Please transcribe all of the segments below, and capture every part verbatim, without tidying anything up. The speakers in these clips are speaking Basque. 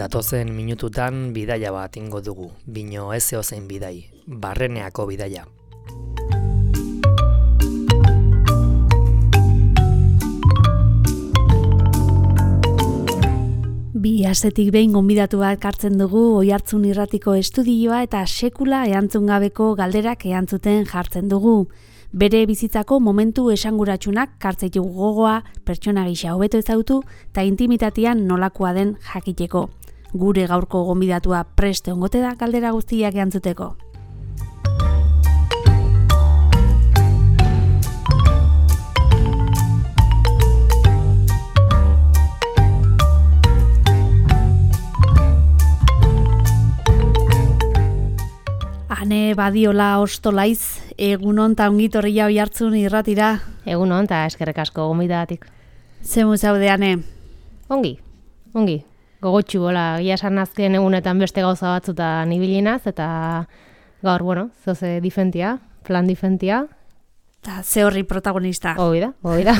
Datozen minututan bidaia bat ingo dugu, bino ez zeozein bidai, Barreneako bidaia. Bi astetik behin gonbidatu bat kartzen dugu Oihartzun Irratiko estudioa eta sekula erantzun gabeko galderak erantzuten jartzen dugu. Bere bizitzako momentu esanguratsunak kartzeitu gogoa, pertsona gisa hobeto ezagutu eta intimitatean nolakoa den jakiteko. Gure gaurko gonbidatua preste ongote da galdera guztiak erantzuteko. Ane badiola ostolaiz, egunon ta ongitorria Oihartzun Irratira. Egunon ta eskerrik asko gonbidagatik. Zemu zaude, Ane? Ongi, ongi. Gogotxu, hola, gia esan azken egunetan beste gauza batzutan ibilinaz, eta gaur, bueno, zoze difentia, plan difentia. Eta ze horri protagonista. Hoi da, hoi da.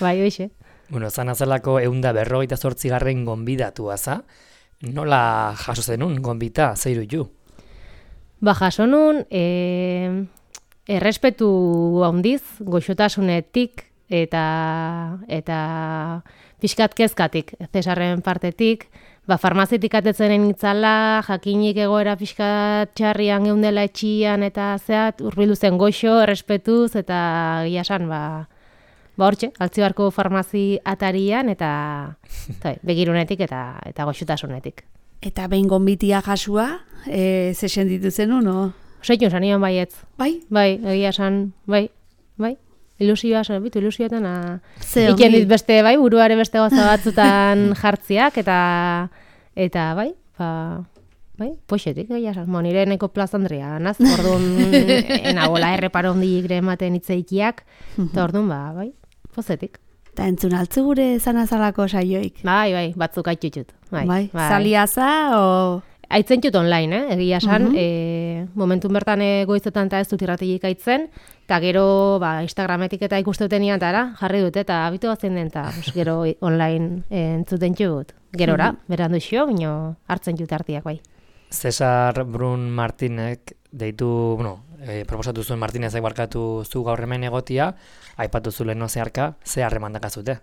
Bai, hoixe. Bueno, zan azelako eunda berrogeita zortzigarren gonbidatua za, nola jaso zenun gonbita, zeiru ju? Ba, jaso nun, e, errespetu handiz, goxotasunetik eta eta pixkat kezkatik, Zesarren partetik, ba, farmazitik atetzenen itzala, jakinik egoera pixkat txarrian geundela etxian eta zeat, urbildu zen goxo, errespetuz, eta gila esan, ba, ba hortxe, Altzibarko farmazi atarian, eta, eta begirunetik eta, eta goxotasunetik. Eta behin gonbitia jasua, e, ze sentitu zenun, no? Seitu zanion baietz. Bai? Bai, egia esan, bai, bai. Ilusioa, zen, bitu, ilusioetan, iken dit beste, bai, buruare beste goza batzutan jartziak, eta, eta, bai, ba, bai, poxetik, egia esan, mo, nire neko plazandria, naz, orduan, enagola erreparo hondik ematen itzeikiak, eta orduan, ba, bai, pozetik. Eta entzun altzu gure zanazalako saioik? Bai, bai, batzuk aitutut. Bai, bai. bai. Zaliaza, o... Aitzentut online, eh? Egia esan, Uh-huh. e, momentun bertan goizetan eta ez dut irrategik aitzen, eta gero ba, Instagrametik eta ikustutenian eta jarri dut, eta abitu batzen den, eta gero online entzuten txut. Gerora, uh-huh. berandu xio, bino hartzen jut hartiak, bai. Cesar Brun Martinek deitu, bueno, e, proposatu zuen Martinezek barkatu zu gaur hemen egotia, aipatu zu leheno zeharka, ze harreman dakazute?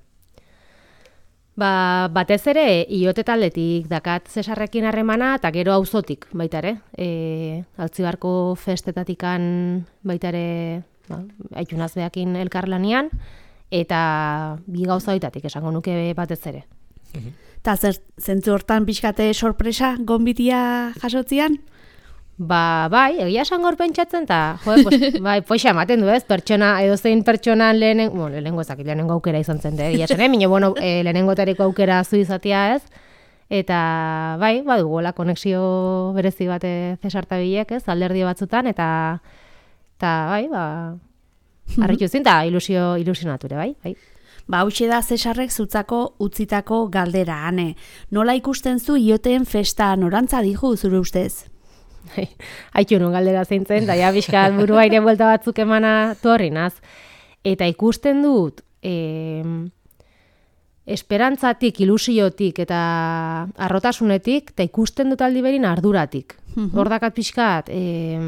Ba, batez ere, iote taldetik dakat Zesarrekin harremana, eta gero auzotik baita ere. E, Altzibarko festetatikan baita ere, ba, aitunaz behakin elkarlanian, eta bi gauza baitatik esango nuke batez ere. Eta zer, zentzu hortan pixkate sorpresa gonbitia jasotzian? Ba, bai, egia esan gaur pentsatzen, eta, jo, pues, bai, poxa ematen du ez, pertsona, edozein pertsonan lehenen, bueno, lehenengo ezakit, lehenengo aukera izan zen, egia esan, eh? Mino, bueno, e, lehenengo tariko aukera zu izatea ez, eta, bai, badugola, konexio berezi bat Zesartabilek, ez, alderdi batzutan, eta, eta, bai, ba, harritu zin, eta ilusio, ilusionature, bai, bai. Ba, hauxe da Zesarrek zutzako utzitako galdera, Ane. Nola ikusten zu ioteen festa norantza dihu zure ustez? Haitu nun galdera zeintzen, da ja bizkat burua ere buelta batzuk emana torri naz. Eta ikusten dut, e, esperantzatik, ilusiotik eta arrotasunetik, eta ikusten dut aldi berin arduratik. Hor dakat pixkat, e,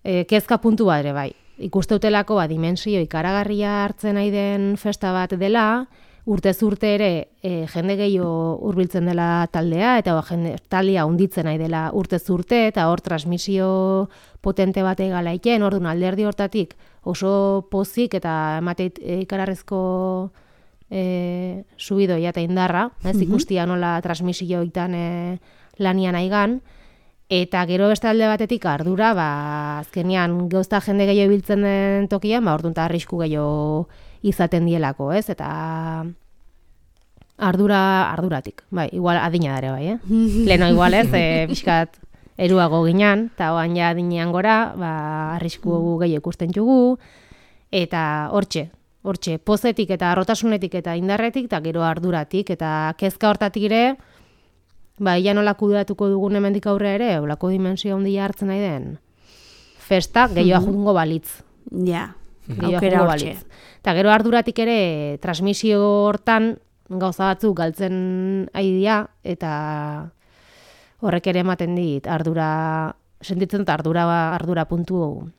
e, kezka puntu bat ere bai. Ikuste ba, dimensio ikaragarria hartzen nahi den festa bat dela, urtez urte ere e, jende gehiago hurbiltzen dela taldea, eta ba, jende, taldea hunditzen nahi dela urtez urte, eta hor transmisio potente bat egalaiken, orduan alderdi hortatik oso pozik eta emateit e, ikararrezko e, subidoia eta indarra, ez ikustia nola transmisioitan e, lanian aigan, eta gero beste alde batetik ardura, ba, azkenean gauzta jende gehiago biltzen den tokian, ba, orduan eta arrisku gehiago izaten dielako, ez? Eta ardura, arduratik, bai, igual adina dare bai, eh? Leno igual ez, e, pixkat eruago ginean, eta oan ja adinean gora, ba, arrisku gehiago ikusten jugu, eta hortxe, hortxe, pozetik eta arrotasunetik eta indarretik, eta gero arduratik, eta kezka hortatik ere, ba, ia nola kudeatuko dugun hemendik aurre ere, olako dimensio handia hartzen nahi den, festa gehiago jungo balitz. Ja, aukera hortxe. Eta gero arduratik ere, transmisio hortan, gauza batzuk galtzen aidia, eta horrek ere ematen dit ardura, sentitzen dut ardura, ardura puntu,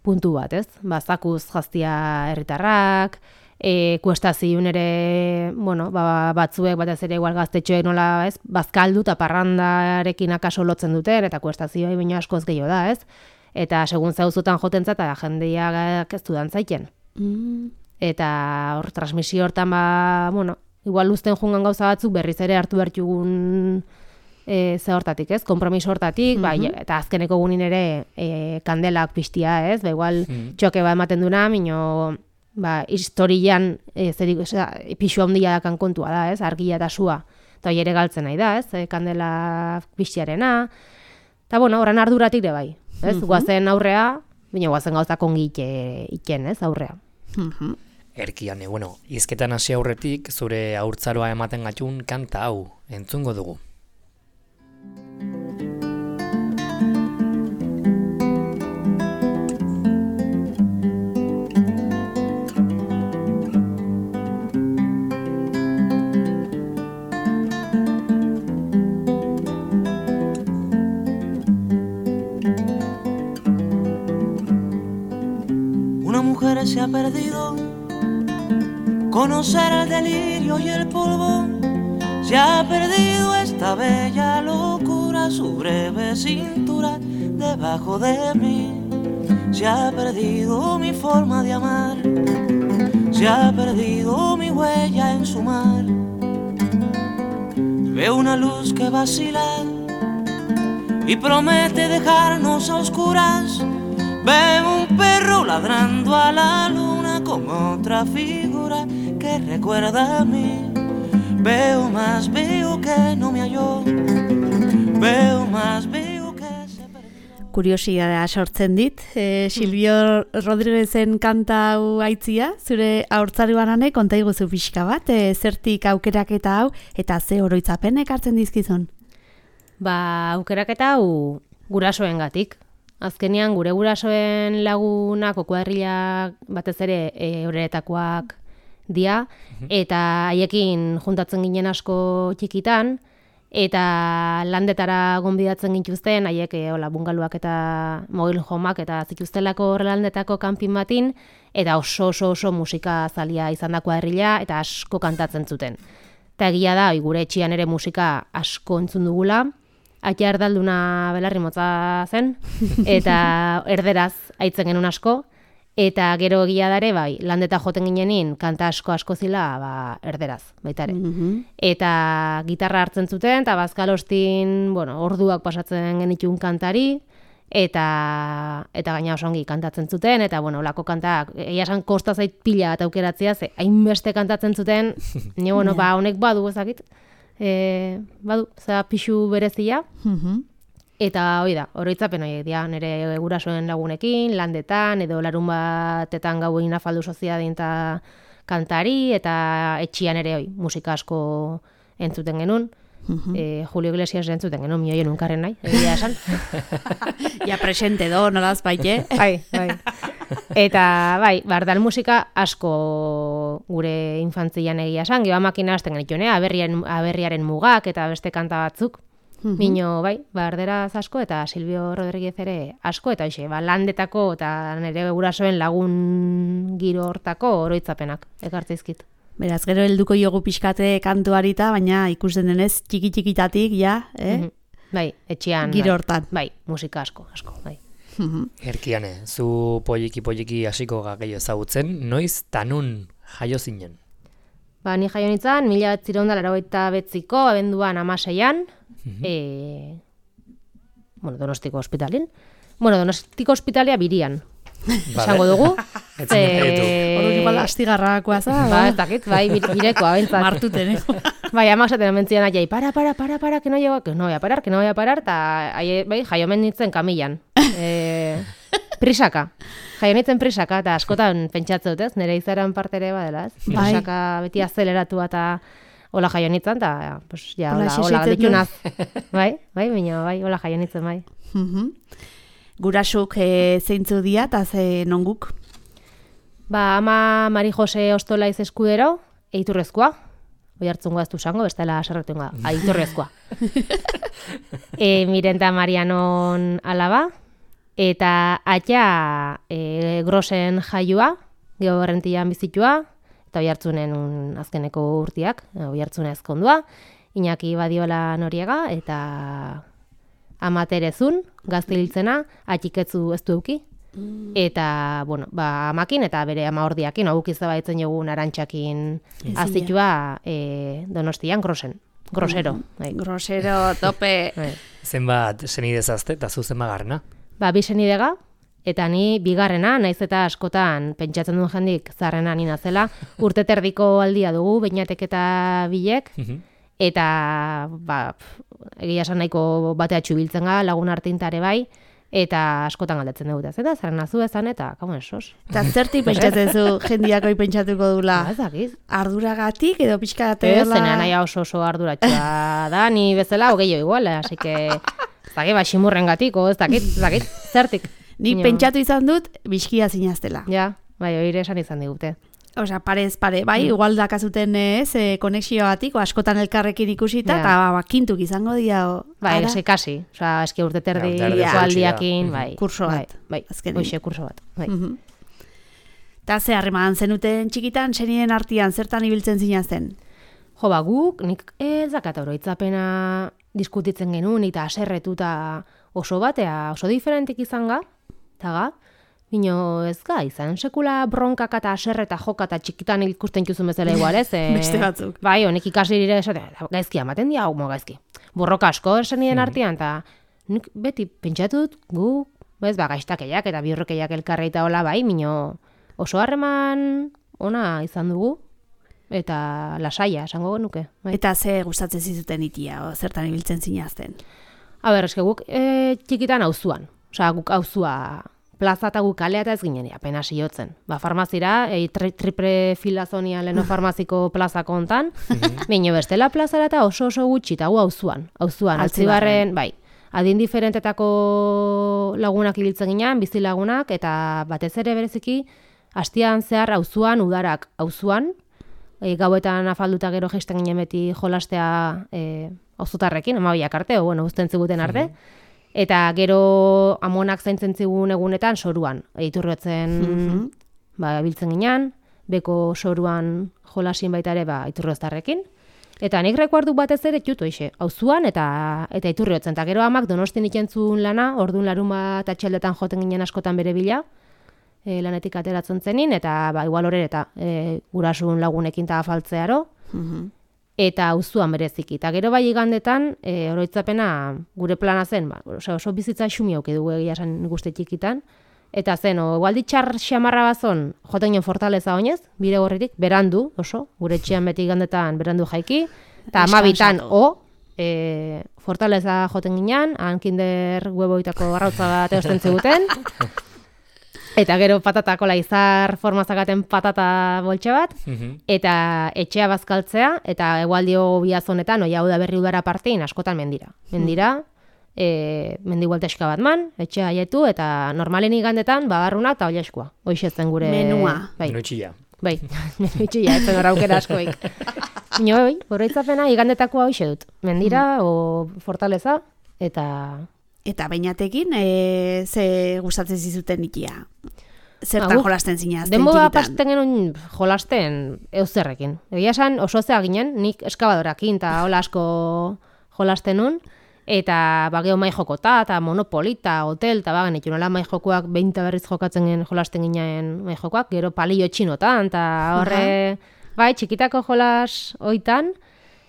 puntu bat, ez? Ba, zakuz jaztia herritarrak, e, kuestazioen ere, bueno, ba, batzuek, batez ere igual gaztetxoek nola, ez? Bazkaldu eta parrandarekin akaso lotzen duten, eta kuestazioa baino askoz gehiago da, ez? Eta segun zauzutan jotentzat, eta jendeak ez dudan zaiten. Mm. Eta hor, transmisio hortan, ba, bueno, igual luzten jungan gauza batzuk berriz ere hartu bertugun e, ze hortatik, ez? Kompromiso hortatik, mm-hmm. ba, eta azkeneko gunin ere e, kandelak piztia, ez? Ba, igual mm. txoke ba ematen duna, mino, ba, historian e, zerik, osea, pixu handia dakan kontua da, ez? Argia eta sua. Eta hori ere galtzen nahi da, ez? E, kandela piztiarena. Eta, bueno, horren arduratik de bai. Ez, mm-hmm. guazen aurrea, baina guazen gauzak ongi iken, ez, aurrea. Mm-hmm. Erkiane, bueno, izketan hasi aurretik, zure haurtzaroa ematen gatun kanta hau, entzungo dugu. Se ha perdido conocer el delirio y el polvo, se ha perdido esta bella locura, su breve cintura debajo de mí, se ha perdido mi forma de amar, se ha perdido mi huella en su mar. Veo una luz que vacila y promete dejarnos a oscuras. Veo un perro ladrando a la luna con otra figura que recuerda a mí. Veo más, veo que no me halló. Veo más, veo que se perdió. Kuriosidadea sortzen dit, e, Silvio Rodríguezen kanta hau aitzia, zure haurtzaroan ane, konta iguzu pixka bat, e, zertik aukeraketa hau, eta ze oroitzapenek hartzen dizkizun? Ba, aukeraketa hau gurasoengatik. Azkenean gure gurasoen lagunak okuadrila batez ere e, horretakoak dia, eta haiekin juntatzen ginen asko txikitan, eta landetara gonbidatzen gintuzten, haiek e, hola, bungaluak eta mobil homak eta zituztelako landetako kanpin batin, eta oso oso oso musika zalia izan da kuadrila, eta asko kantatzen zuten. Eta egia da, gure etxian ere musika asko entzun dugula, Aita erdalduna belarri motza zen, eta erderaz aitzen genuen asko, eta gero egia dare, bai, landeta joten ginenin, kanta asko asko zila, ba, erderaz, baitare. Mm-hmm. Eta gitarra hartzen zuten, eta bazkalostin, bueno, orduak pasatzen genitun kantari, eta eta gaina oso ongi kantatzen zuten, eta, bueno, olako kantak, egia esan kosta zait pila eta aukeratzea, ze hainbeste kantatzen zuten, ni, bueno, yeah. ba, honek badu ezakit, E, badu, za pixu berezia, mm-hmm. eta hoi da, oroitzapen horiek dira, nire gurasoen lagunekin, landetan, edo larun batetan gauin afaldu soziadin eta kantari, eta etxian ere hoi, musika asko entzuten genuen. Mm-hmm. E, Julio Iglesias entzuten genuen, mioien unkarren nahi, egia esan. Ja presente do, nolaz baite. Bai, bai. Eta, bai, bardal musika asko gure infantzian egia esan, geha makina hasten genituen, eh? aberriaren, aberriaren mugak eta beste kanta batzuk. Mm-hmm. Mino, bai, barderaz asko eta Silvio Rodríguez ere asko, eta hoxe, ba, landetako eta nire gurasoen lagun giro hortako oroitzapenak, ekartzeizkit. Beraz, gero helduko jogu pixkate kantuarita, baina ikusten denez txiki-txikitatik, ja, eh? Mm-hmm. Bai, etxean. Giro hortan. Bai, musika asko, asko, bai. Erkiane, zu poliki-poliki hasiko gehiago ezagutzen, noiz tanun jaio zinen? Ba, ni jaio nintzen, mila batzireun da laurogeita betziko, abenduan amaseian, mm-hmm. e, bueno, Donostiko ospitalin. Bueno, Donostiko ospitalia birian. Esango dugu. Ze... Hor igual astigarrakoa za. Ba, ez dakit, bai, birekoa, bentzat. Martuten, eh? Bai, amak zaten mentzian aiei, para, para, para, para, que no, llevo, que no voy a parar, que no voy a parar, eta bai, jaio nintzen kamilan. E, prisaka. Jaio nintzen prisaka, eta askotan pentsatzen dut, ez? Nire izaran parte ere badela, ez? Prisaka beti azeleratu eta hola jaio nintzen, eta, pues, ja, hola, hola, ditunaz. Bai, bai, baina, bai, hola jaio nintzen, bai. Gurasuk e, zeintzu dia, eta ze nonguk? Ba, ama Mari Jose Ostolaiz Eskudero, eiturrezkoa, Oihartzungoa ez du esango, bestela haserretungoa, aitorrezkoa. e, Mirenta Marianon alaba, eta atia e, Grosen jaioa, Geho Berrentian bizitua, eta Oihartzunen un, azkeneko urtiak, Oihartzuna ezkondua, Iñaki Badiola Noriega, eta Ama Terezun, gazte hiltzena, atxiketzu ez du euki, eta, bueno, ba, amakin eta bere ama ordiakin, hau izabaitzen jogun arantxakin azitua e, Donostian, Grosen. Grosero. Bai. Grosero, tope. Bai. Zenbat senidezazte eta zu zenbat garrena? Ba, bi senidega, eta ni bigarrena, naiz eta askotan pentsatzen duen jendik zarrena nina zela, urte terdiko aldia dugu, Beñatek eta Bilek, eta, ba, egia esan nahiko bateatxu biltzen ga, lagun artintare bai, eta askotan galdetzen dugu, eta zaren azu ezan, eta, kamoen, sos. Eta zerti pentsatzen zu jendiakoi pentsatuko dula? Ba, ez dakiz. Arduragatik edo pixka Ez, zenean nahi oso oso arduratxua da, ni bezala, hogeio igual, así que, ez dakit, ba, ximurren gatiko, ez dakit, ez dakit, zertik. Ni pentsatu izan dut, bizkia zinaztela. Ja, bai, oire esan izan digute. Osea, parez pare, bai, igual dakazuten ez, e, konexioatik, askotan elkarrekin ikusita, eta Ja. ba, kintuk izango dira. Bai, ara? ese kasi, osea, eski urte terdi Ja, urte erdi aldiakin, Mhm. bai. Kurso bat, Bai, bai, azkenean. hoxe, kurso bat, bai. Mhm. Eta ze harreman zenuten txikitan, seniden artean, zertan ibiltzen zinazten? Jo, ba, guk, nik ez dakat oroitzapena diskutitzen genuen, eta aserretuta oso batea, oso diferentik izan ga, eta ga, bino ez ga, izan sekula bronkak eta aserreta joka eta txikitan ikusten juzun bezala igual, ez? E, Beste batzuk. Bai, honek ikasi dire esatea, gaizki amaten dia, hau mo gaizki. Borroka asko seniden artean, eta nik beti pentsatut gu, ez, ba, gaiztakeiak eta bihurrekeiak elkarreita hola, bai, bino oso harreman ona izan dugu, eta lasaia, esango nuke. Bai. Eta ze gustatzen zizuten itia, o, zertan ibiltzen zinazten? A ber, eske guk e, txikitan auzuan. Osea, guk auzua plaza eta guk kalea eta ez ginen, apenas iotzen. Ba, farmazira, e, tri, triple filazonian leno farmaziko plazako hontan, baina bestela plazara eta oso oso gutxi, eta gu auzuan. Auzuan, Altzibarren, bai. Adin diferentetako lagunak ibiltzen ginean, bizi lagunak, eta batez ere bereziki, hastian zehar auzuan, udarak auzuan, e, gauetan afalduta gero jaisten ginen beti jolastea e, auzotarrekin, amabiak arte, o, bueno, uzten ziguten arte, eta gero amonak zaintzen zigun egunetan soruan, iturriotzen ba, biltzen ginean, beko soruan jolasin baita ere ba, iturrioztarrekin, eta nik rekuardu batez ere txutu eixe, auzuan eta eta iturriotzen, eta gero amak Donostin ikentzun lana, orduan larun bat atxaldetan joten ginen askotan bere bila, e, lanetik ateratzen zenin, eta ba, igual horre eta e, gurasun lagunekin eta afaltzearo, eta auzuan bereziki. Eta gero bai igandetan, e, oroitzapena gure plana zen, ba, oso, oso bizitza xumi auke dugu egia esan guzti txikitan, eta zen, o, igual ditxar xamarra bazon, joten ginen Fortaleza oinez, bire gorririk, berandu, oso, gure etxean beti igandetan berandu jaiki, eta amabitan, o, e, Fortaleza joten ginen, han kinder hueboitako arrautza bat eosten ziguten, eta gero patata kola izar formazakaten patata boltxe bat, eta etxea bazkaltzea, eta egualdio biazonetan, oia hau da berri udara partein, askotan mendira. Mendira, e, mendi gualteska bat man, etxea haietu, eta normalen igandetan, bagarruna eta oiaskoa. Hoixe zen gure... Menua. Bai, Menutxilla. bai, menutxilla, ez zen hor aukera askoik. Nio, bai, horreitzapena igandetakoa hoixe dut. Mendira, o Fortaleza, eta... Eta Beñatekin, e, ze gustatzen zizuten ikia? Zertan Ba, guk jolasten zinazten denbora txikitan? pasten genuen jolasten euzerrekin. Egia esan oso zea ginen, nik eskabadorakin eta hola asko jolasten nun, eta ba, geho mai jokota, eta monopolita, hotel, eta bagen itun hola mai jokoak behinta berriz jokatzen gen jolasten ginen mai jokoak, gero palillo txinotan, eta horre, bai, txikitako jolas oitan,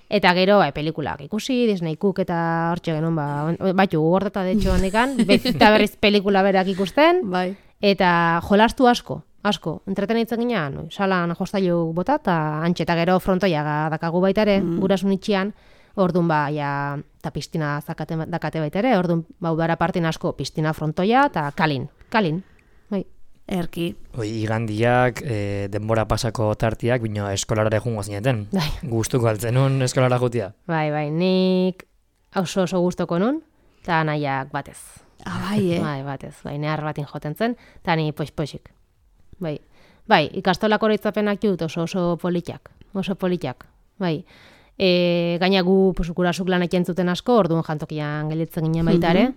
eta gero, bai, pelikulak ikusi, Disney Cook eta hortxe genuen, ba, batu gordeta de hecho handikan, eta berriz pelikula berak ikusten, Bai. eta jolastu asko, asko, entretenitzen ginean, oi, salan jostailu bota, eta antxe, eta gero frontoia dakagu baita ere, mm. gurasun itxian, orduan ba, ja, eta piztina zakate, dakate baita ere, orduan ba, udara partin asko, piztina frontoia, eta kalin, kalin, bai. Erki. Oi, igandiak, e, denbora pasako tartiak, bino eskolara jungo zineten. Bai. Gustuko altzen nun eskolara jutia. Bai, bai, nik oso oso gustoko nun, eta nahiak batez. Ah, bai, eh? Bai, batez, bai, nehar batin joten zen, eta ni poix-poixik. Bai, bai, ikastolako oroitzapenak jut oso oso politiak, oso politiak. bai. E, gaina gu, pues, gurasuk lan eken zuten asko, orduan jantokian gelditzen ginen baita ere.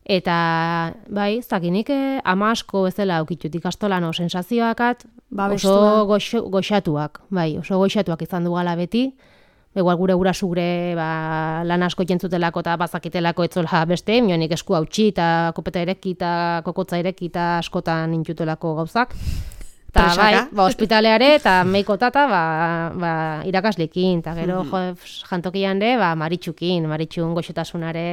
Eta, bai, zakinik eh, ama asko bezala aukitut ikastolan o sensazioakat oso goxo, goxatuak, bai, oso goxatuak izan dugala beti. Igual gure gurasu gure ba, lan asko jentzutelako eta bazakitelako etzola beste, mionik esku hautsi eta kopeta ereki eta kokotza ereki eta askotan intutelako gauzak. Eta bai, ba, ospitaleare eta meikotata ba, ba, irakaslekin, eta gero mm-hmm. jo, jantokian de, ba, maritxukin, maritxun goxotasunare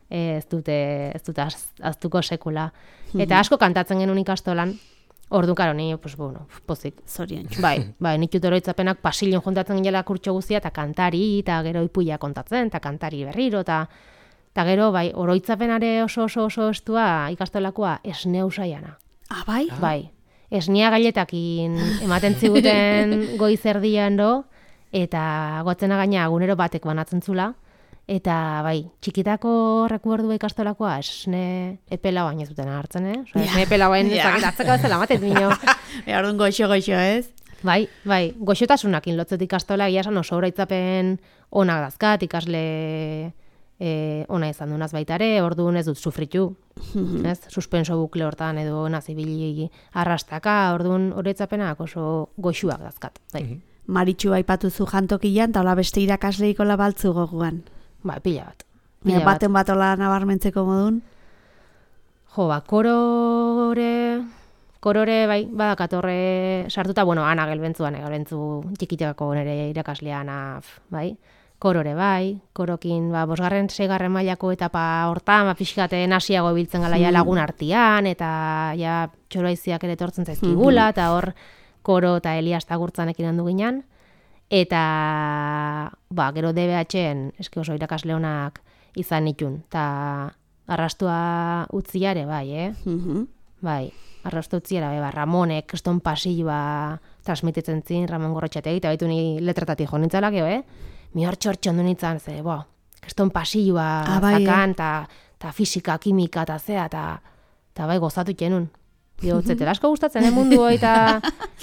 ez dute, ez dute aztuko sekula. Mm-hmm. Eta asko kantatzen genuen ikastolan, orduan karo, ni, pues, bueno, pozik. Zorion. Bai, bai, nik oroitzapenak pasilon juntatzen gila kurtxo guztia, eta kantari, eta gero ipuia kontatzen, eta kantari berriro, eta eta gero, bai, oroitzapenare oso oso oso estua ikastolakoa esneu saiana. Ah, bai? Bai. Esnia gailetakin ematen ziguten goizerdian do, eta gotzena gaina agunero batek banatzen zula, eta bai, txikitako rekuerdu ikastolakoa esne epela baina zuten hartzen, eh? Osa, esne epela baina zakitatzeko bezala matet bino. Eardun goxo-goxo, ez? Bai, bai, goxotasunakin lotzet ikastola, egia esan oso oroitzapen onak dazkat, ikasle e, ona izan dunaz baitare, orduan ez dut sufritu, mm-hmm. ez? Suspenso bukle hortan edo nazibili arrastaka, orduan oroitzapenak oso goxuak dazkat, bai. Mm-hmm. Maritxu aipatu zu jantokian, eta hola beste irakasleiko labaltzu goguan. Ba, pila bat. Pila bat. Baten bat hola nabarmentzeko modun? Jo, ba, korore, korore, bai, badakatorre sartuta, bueno, ana gelbentzuan, gelbentzu txikitekako nire irakaslean, bai, korore, bai, korokin, ba, bosgarren, seigarren mailako etapa hortan, ba, pixkaten hasiago biltzen gala ja lagun artian, eta ja txoroaiziak ere tortzen zaizkigula, eta hor koro eta Elias tagurtzanekin handu ginen, eta ba, gero D B H-en eski oso irakasle honak izan nitun, eta arrastua utziare, bai, eh? Mm-hmm. Bai, arrastua utziare, bai, ba, Ramonek, kriston pasilloa transmititzen zin, Ramon Gorrotxategi, eta baitu ni letratatik jo nintzalak, eh? Mi hor txortxo ondu nintzen, ze, bo, kriston pasilloa ah, bai, zakan, eta eh? fisika, kimika, eta zea, eta bai, gozatu txenun. Dio, zetela asko gustatzen, eh, mundu eta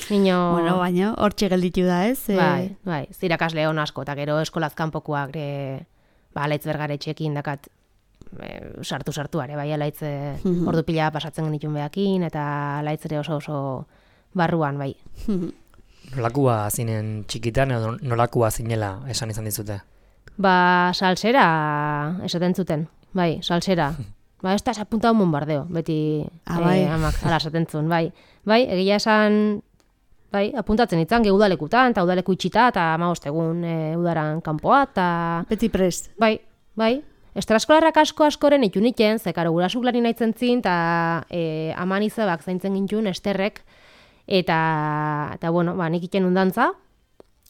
niño... Bueno, baina, hortxe gelditu da, ez? E... Bai, bai, zirakasle hon asko, eta gero eskolaz kanpokoak, e, ba, alaitz bergaretxekin dakat, sartu-sartuare, bai, alaitz mm-hmm. ordu pila pasatzen genitun behakin, eta alaitz ere oso oso barruan, bai. Nolakua zinen txikitan, edo nolakua zinela esan izan dizute? Ba, salsera esaten zuten, bai, salsera. Ba, ez da apuntado un bombardeo, beti ah, bai. eh, amak ala esaten zuen, bai. Bai, egia esan, bai, apuntatzen itzan, ge udalekutan, eta udaleku itxita, eta amagost egun e, udaran kanpoa, eta... Beti prest. Bai, bai. Estraskolarrak asko askoren itun iten, zekaro gurasuk lani nahitzen zin, eta e, aman izabak zaintzen gintun, esterrek, eta, eta bueno, ba, nik iten undantza,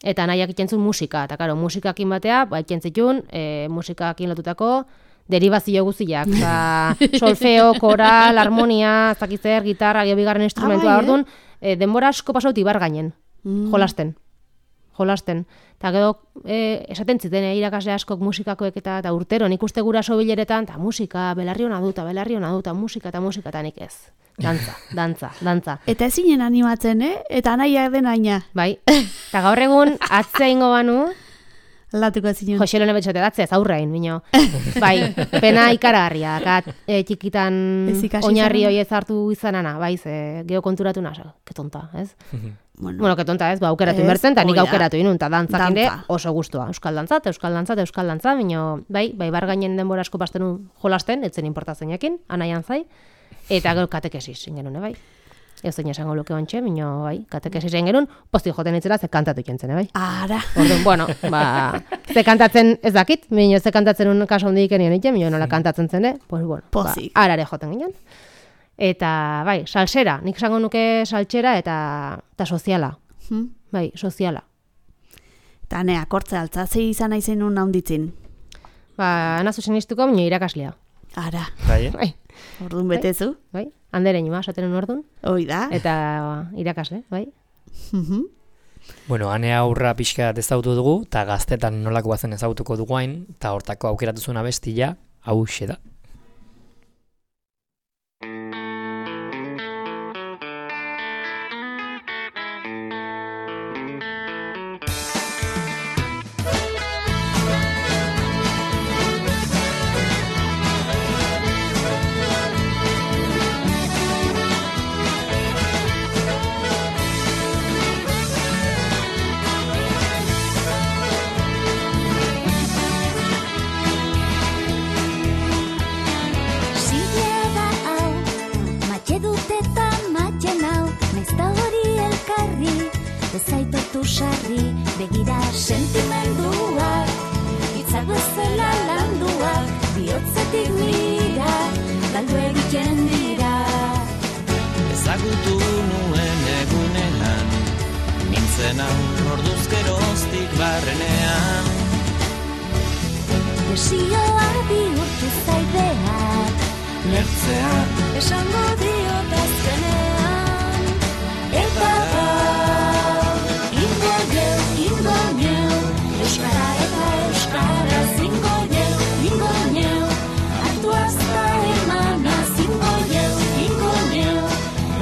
eta nahiak iten zuen musika, eta karo, musikakin batea, ba, iten zitun, e, musikakin lotutako, derivazio guziak, solfeo, koral, harmonia, zakizer, gitarra, geobigarren instrumentua, ah, bai, orduan, e, denbora asko pasauti bar gainen, mm. jolasten, jolasten. Eta gero, e, esaten ziten, e, irakasle askok musikakoek eta, eta urtero, nik uste guraso bileretan, eta musika, belarri hona duta, belarri hona duta, musika eta musika, eta nik ez. Dantza, dantza, dantza. Eta ezinen animatzen, eh? Eta nahiak den aina. Bai, eta gaur egun, atzea ingo banu, Latuko zinen. Jose Lone betxate datzea, zaurrein, bino. Bai, pena ikaragarria, kat, e, txikitan oinarri hori ez hartu izanana, bai, ze, geho konturatu nasa, ketonta, ez? bueno, bueno, ketonta ez, ba, aukeratu inbertzen, eta nik aukeratu inun, eta dantzakinde oso gustua. Euskal dantzat, euskal dantzat, euskal dantzat, bino, bai, bai, bar gainen denbora asko pastenu jolasten, etzen importatzen jakin, anaian zai, eta gero katekesis, ingenune, bai. Ez zein esango luke ontxe, bino, bai, katekesi zen genuen, posti joten itzela ze kantatu jentzen, bai. Ara. Orduan, bueno, ba, ze kantatzen ez dakit, bino, ze kantatzen un kaso hondik enien ite, bino, nola kantatzen zen, eh? Pues, bueno, ba, arare joten ginen. Eta, bai, salsera, nik esango nuke salsera eta, eta soziala. Hmm? Bai, soziala. Eta nea, kortze altza, ze izan aizen un haunditzin? Ba, nazu sinistuko, bino, irakaslea. Ara. Bai, bai. Orduan betezu? Bai, handeren ima, esaten un orduan. Hoi da. Eta irakasle, bai. Mhm. Bueno, ane aurra pixka ezautu dugu, eta gaztetan nolakoa zen ezautuko dugu hain, eta hortako aukeratu zuen abestia, hauxe da. bezala landuak, bihotzetik nira, galdu egiten dira. Ezagutu nuen egunean, nintzen hau orduz geroztik barrenean. Desioa bihurtu zaideak, Lertzea esango diot azkenean. Eta gaur, ingo geu, ingo neu, euskara eta euskara zingo geu, ingo neu, hartu azta emana zingo geu, ingo neu,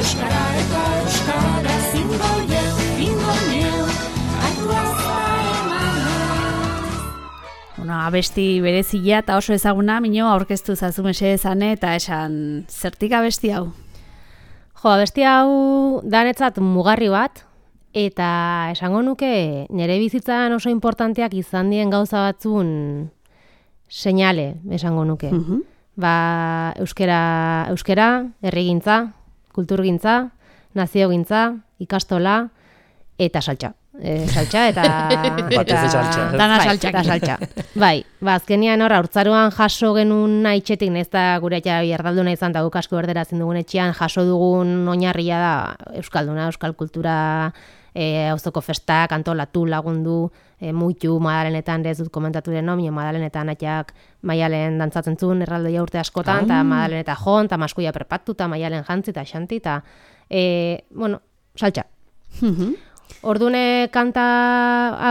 euskara eta euskara zingo geu, ingo neu, hartu azta emana. Bueno, abesti berezia eta oso ezaguna, Mino, aurkeztu zazu mesedezane eta esan zertik abesti hau? Jo, abesti hau danetzat mugarri bat, eta esango nuke nire bizitzan oso importanteak izan dien gauza batzun seinale, esango nuke. Mhm. Ba, euskera, euskera, herrigintza, kulturgintza, naziogintza, ikastola eta saltza. E, saltza eta... Batez eta saltza. Dana bai, saltzakin. eta saltza. Bai, ba, azkenian hor, haurtzaroan jaso genuen nahi txetik, nez da gure etxea biardalduna izan, eta guk asko berdera ezin dugun etxean, jaso dugun oinarria da euskalduna, euskal kultura, e, auzoko festak, antolatu, lagundu, e, muitu, madalenetan, ez dut komentatu den nomio, madalenetan atxak maialen dantzatzen zuen, erraldoia urte askotan, eta madaleneta jon, eta maskuia prepatu, eta maialen jantzi, eta xanti, eta, e, bueno, saltza. Mhm. Ordune kanta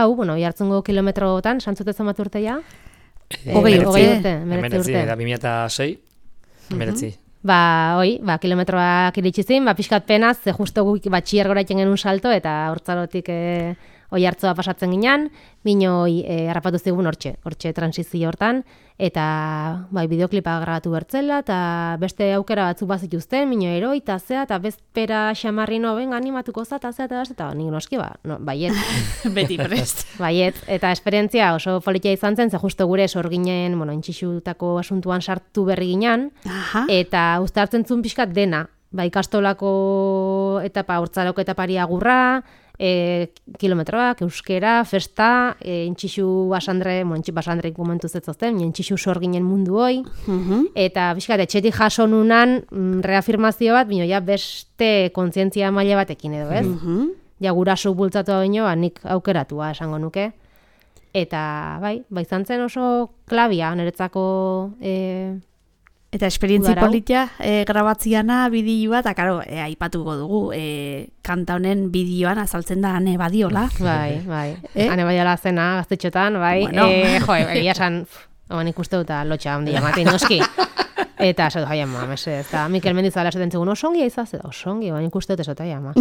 hau, bueno, jartzungo kilometrotan, santzute zenbat urte ja? Eh, Hogei emeretzi. hogei urte, emeretzi Emeretzi, urte. eta bi mila sei, emeretzi. Ba, hoi, ba, kilometroak iritsi zin, ba, pixkat penaz, ze justo guk batxier gora iten genuen salto, eta hortzarotik e, oi hartzoa pasatzen ginean, bino hoi e, harrapatu zigun hortxe, hortxe transizio hortan, eta bai, bideoklipa grabatu bertzela, eta beste aukera batzuk bazituzten, bino eroi, eta zea, eta bezpera xamarri no, benga, animatuko za, eta zea, eta eta nik noski, ba, no, baiet. Beti prest. Baiet, eta esperientzia oso politia izan zen, ze justo gure sorginen, bueno, intxixutako asuntuan sartu berri ginean, Aha. eta uztartzen zuen pixkat dena, ba, ikastolako etapa, hortzaroko etapari agurra, e, kilometroak, euskera, festa, e, intxixu basandre, bueno, intxixu basandre momentu zetzozten, intxixu sorginen mundu hoi, Mhm. eta pixkat, etxetik jaso nunan mm, reafirmazio bat, bino ja beste kontzientzia maila batekin edo, ez? Mhm. Ja guraso bultzatu baino, ba, nik aukeratua esango nuke. Eta, bai, ba, izan zen oso klabia, niretzako e, Eta esperientzi Udarau. politia e, grabatziana bideoa, eta karo, e, aipatuko dugu, e, kanta honen bideoan azaltzen da ane badiola. bai, bai. Eh? Hane bai ala zena, gaztetxotan, bai. Bueno. Eh, jo, egia esan, oan ikuste dut lotxa handia matin, noski. Eta esato, jai ama, mese, eta Mikel Mendizala esaten zegoen, osongi aizaz, eta osongi, oan ikuste dut esota, jai ama.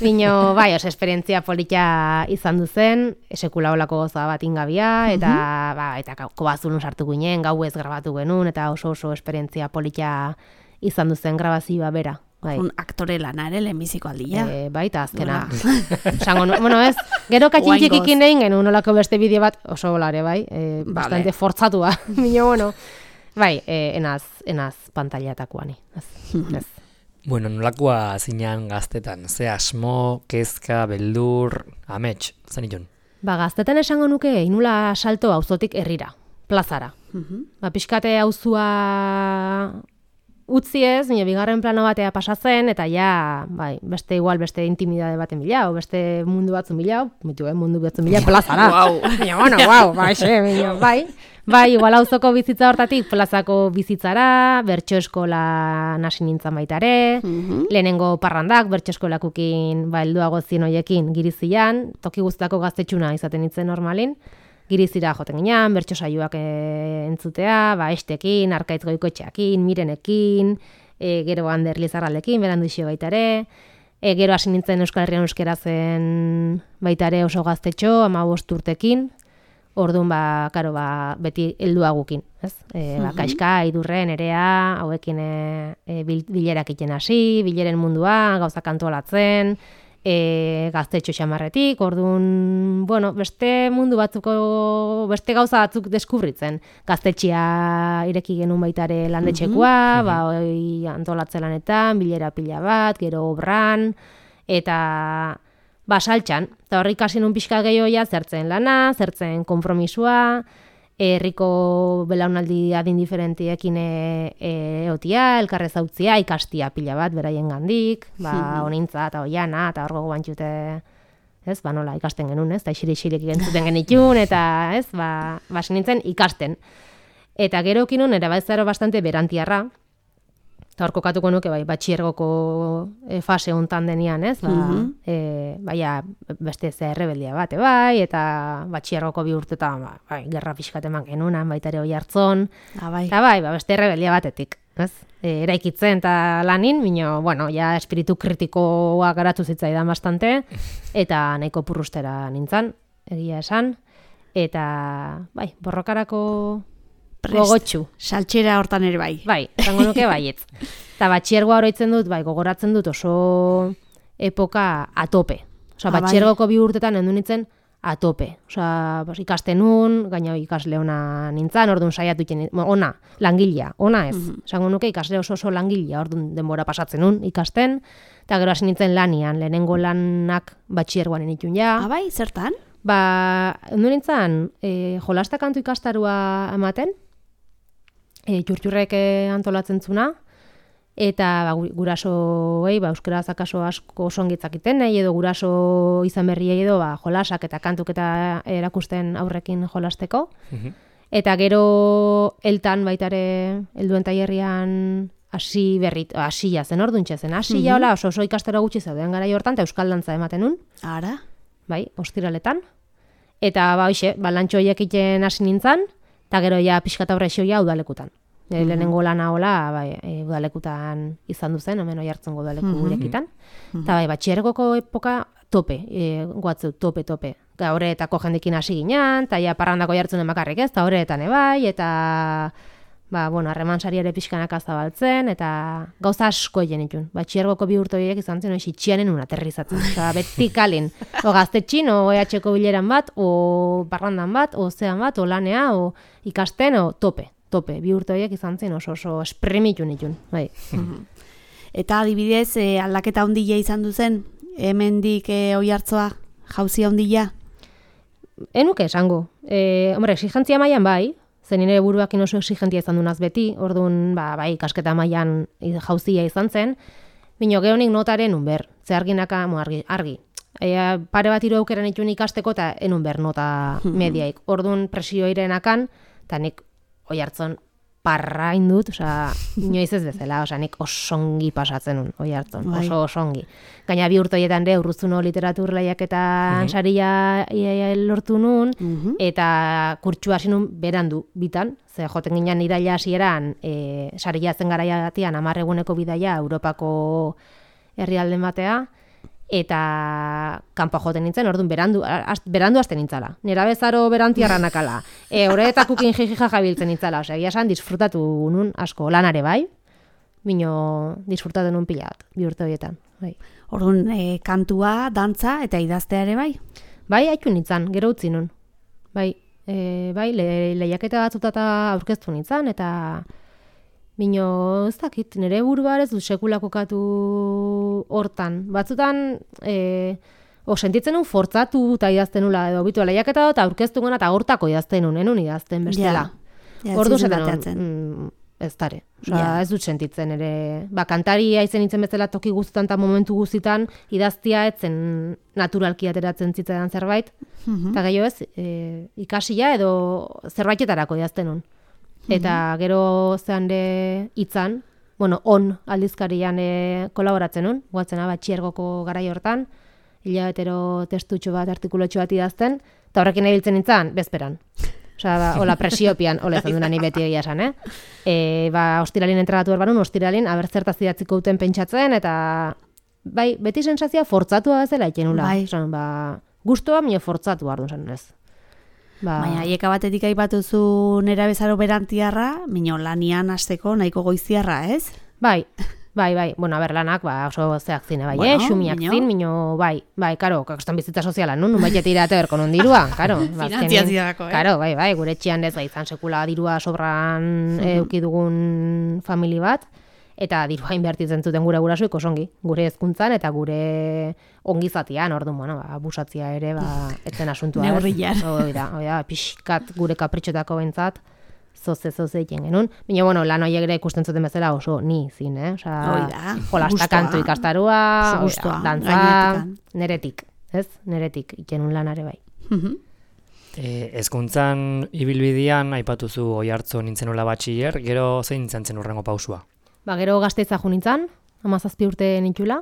Bino, bai, oso esperientzia politia izan duzen, sekula olako goza bat ingabia, eta, ba, eta kobazulun sartu ginen, gau ez grabatu genuen, eta oso oso esperientzia politia izan duzen grabazioa bera. Bai. Un aktore lana ere lehenbiziko aldia. E, bai, eta azkena. Esango, nu- bueno, ez, gero katxintxik Oraingoz. ikin egin genuen olako beste bideo bat, oso bolare, bai, e, bastante fortzatua, bino, bueno, bai, e, enaz, enaz pantaiatakoani, ez, ez. Bueno, nolakoa zinean gaztetan, ze asmo, kezka, beldur, amets, zen itun. Ba, gaztetan esango nuke, inula salto auzotik herrira, plazara. Mhm. Ba, pixkate auzua utzi ez, nire bigarren plano batea pasa zen, eta ja, bai, beste igual, beste intimidade baten bila, o beste mundu batzun bila, mitu, eh, mundu batzun bila, plazara. Guau. Baina, bueno, guau, bai, xe, baina, bai. Bai, igual auzoko bizitza hortatik, plazako bizitzara, bertso eskola nasi nintzen baita ere, Mhm. lehenengo parrandak, bertso eskolakukin, ba, helduago zien hoiekin, girizian, toki guztako gaztetxuna izaten nintzen normalin, girizira joten ginean, bertso saioak e, entzutea, ba, estekin, arkaitz goikoetxeakin, mirenekin, e, gero Ander Lizarraldekin, berandu isio baita ere, e, gero hasi nintzen Euskal Herrian euskera zen baita ere oso gaztetxo, hamabost urtekin, orduan, ba, karo, ba, beti helduagukin, ez? E, ba, Kaixka, Idurre, Nerea, hauekin e, e, bil, bilerak iten hasi, bileren mundua, gauzak antolatzen, e, gaztetxo xamarretik, orduan, bueno, beste mundu batzuko, beste gauza batzuk deskubritzen. Gaztetxea ireki genuen baitare landetxekoa, ba, oi, antolatze lanetan, bilera pila bat, gero obran, eta ba, saltxan, eta horrik hasi nun pixka gehioia zertzen lana, zertzen konpromisua, herriko belaunaldi adin diferentiekin e, e, eotia, elkarrez hautzia, ikastia pila bat beraien gandik, ba, onintza eta oiana, eta hor gogo bantxute, ez, ba, nola, ikasten genuen, ez, eta isiri-isirik gentzuten genitun, eta, ez, ba, basi nintzen ikasten. Eta gero kinun, erabaizaro bastante berantiarra, eta hor kokatuko nuke, bai, batxiergoko e, fase hontan denian, ez, ba, Mhm. e, baia, beste ze errebeldia bate, bai, eta batxiergoko bi urtetan, ba, bai, gerra pixkat eman genunan, baita ere Oiartzun, Ah, bai. eta bai, ba, beste errebeldia batetik, ez, e, eraikitzen eta lanin, bino, bueno, ja espiritu kritikoa garatu zitzaidan bastante, eta nahiko purrustera nintzen, egia esan, eta, bai, borrokarako Prest. gogotxu. Saltxera hortan ere bai. Bai, esango nuke baietz. Eta batxiergoa oroitzen dut, bai, gogoratzen dut oso epoka atope. Osa, Ah, bai. batxiergoko bi urtetan endu nintzen atope. Osa, bas, ikasten nun, gaina ikasle ona nintzen, orduan saiatu iten, ona, langilea, ona ez. Esango nuke ikasle oso oso langilea, orduan denbora pasatzen nun ikasten, eta gero hasi nintzen lanian, lehenengo lanak batxiergoan nintzen ja. Ah, bai, zertan? Ba, endu nintzen, e, jolasta kantu ikastarua ematen, e, txurtxurrek e, antolatzen zuna, eta ba, gu- gurasoei, ba, euskaraz akaso asko osongitzakiten, nahi edo guraso izan berriei edo ba, jolasak eta kantuk eta erakusten aurrekin jolasteko. Eta gero eltan baitare helduen tailerrian hasi berrit, hasia zen orduntxe zen, hasia hola oso oso ikastaro gutxi zeuden garai hortan, eta euskal dantza ematen nun, Ara? bai, ostiraletan. Eta ba, hoxe, ba, lantxo horiek iten hasi nintzen, eta gero ja pixka eta horrexoia udalekutan. E, lehenengo lana hola, bai, e, udalekutan izan duzen, hemen Oiartzungo udaleku gurekitan. Eta bai, batxiergoko epoka tope, e, guatzu, tope, tope. Eta horretako jendekin hasi ginen, eta ja parrandako Oiartzunen bakarrik ez, eta horretan ebai, eta ba, bueno, harreman sari ere pixkanaka zabaltzen, eta gauza asko egin itun. Batxiergoko bi urte horiek izan zen, oiz, itxianen un aterrizatzen. Osa, beti kalin. O gaztetxin, o E H ko bileran bat, o parrandan bat, o zean bat, o lanea, o ikasten, o tope. Tope, bi urte horiek izan zen oso oso esprimitu nitun. Bai. Eta adibidez, e, aldaketa handia izan duzen, hemendik e, Oiartzoa, jauzia handia? Enuke esango. E, hombre, exigentzia mailan bai, zen nire buruakin oso exigentia izan dunaz beti, orduan, ba, bai, kasketa mailan jauzia izan zen, bino gehonik notaren unber, ze arginaka, mo, argi, argi. E, pare bat hiru aukera nituen ikasteko eta enun ber nota mediaik. Orduan presio irenakan, eta nik Oiartzun parrain dut, osea, inoiz ez bezala, osea, nik osongi pasatzen nun, Oiartzun, Bai. oso osongi. Gaina bi urte horietan ere Urruzuno literatur lehiaketan saria ia- lortu nun, Mhm. eta kurtsua hasi nun berandu bitan, ze joten ginen iraila hasieran e, saria zen garaiatian hamar eguneko bidaia Europako herrialden batea, eta kanpo joten nintzen, orduan berandu, az, berandu hasten nintzala. Nera bezaro berantiarra nakala. E, horretakukin jijija jabiltzen nintzala. Osea, egia esan, disfrutatu nun asko lanare bai, bino disfrutatu nun pila bat, bi urte horietan. Bai, Orduan, e, kantua, dantza eta idaztea ere bai? bai haitu nintzen, gero utzi nun. Bai, e, bai le, lehiaketa batzutata aurkeztu nintzen, eta bino, ez dakit, nire burua ez du sekula kokatu hortan. Batzutan, e, o sentitzen nun fortzatu eta idazten nula, edo bitu lehiaketa eta aurkeztu gana eta hortako idazten nun, enun idazten bestela. Ja, ja, Ordu ez ziren zaten ateratzen. mm, ez dare. Osa, Ja. ez dut sentitzen ere. Ba, kantaria izen nintzen bezala toki guztan eta momentu guztitan idaztia etzen naturalki ateratzen zitzaidan zerbait. Eta gehiago ez, e, ikasia edo zerbaitetarako idazten nun. Eta gero zean de hitzan, bueno, on aldizkarian e, kolaboratzen nun, guatzena batxiergoko garai hortan, hilabetero testutxo bat, artikulotxo bat idazten, eta horrekin nabiltzen nintzen, bezperan. Osa, ba, hola presiopian, hola izan duna ni beti egia esan, eh? E, ba, ostiralin entregatu erbanun, ostiralin, aber zertaz idatziko duten pentsatzen, eta bai, beti sensazioa fortzatua bezala ikenula. Bai. Osan, ba, gustoa, mino fortzatu ardu zen, ez. Ba, Baina, hieka batetik aipatuzu nera bezaro berantiarra, mino lanian hasteko nahiko goiziarra, ez? bai, bai, bai, bueno, aber lanak, ba, oso zeak zine, bai, Bueno, eh, xumiak mino. zin, mino, bai, bai, karo, kakostan bizitza soziala, nun, nun baiet irate berko non dirua, karo. ba, azkenean- Finantziaziorako, eh? Karo, bai, bai, gure etxean ez, bai, izan sekula dirua sobran euki dugun famili bat, eta dirua inbertitzen zuten gure gurasoek osongi, gure hezkuntzan eta gure ongizatian, orduan, bueno, ba, abusatzia ere, ba, etzen asuntua. Neurrian. Hoi da, hoi da, pixkat gure kapritxotako bentzat, zoze, zoze egiten genuen. Baina, bueno, lan horiek ere ikusten zuten bezala oso ni zin, eh? Osa, Hoi da, jolasta gustua. kantu ikastaroa, Oso hoi da, gustua, dantza, gainetikan. neretik, ez? Neretik, ikenun lanare bai. Mhm. E, ezkuntzan ibilbidean aipatuzu Oiartzun nintzenula batxiller, gero zein izan zen urrengo pausua? Ba, gero Gasteiza jo nintzen, hamazazpi urte nitxula,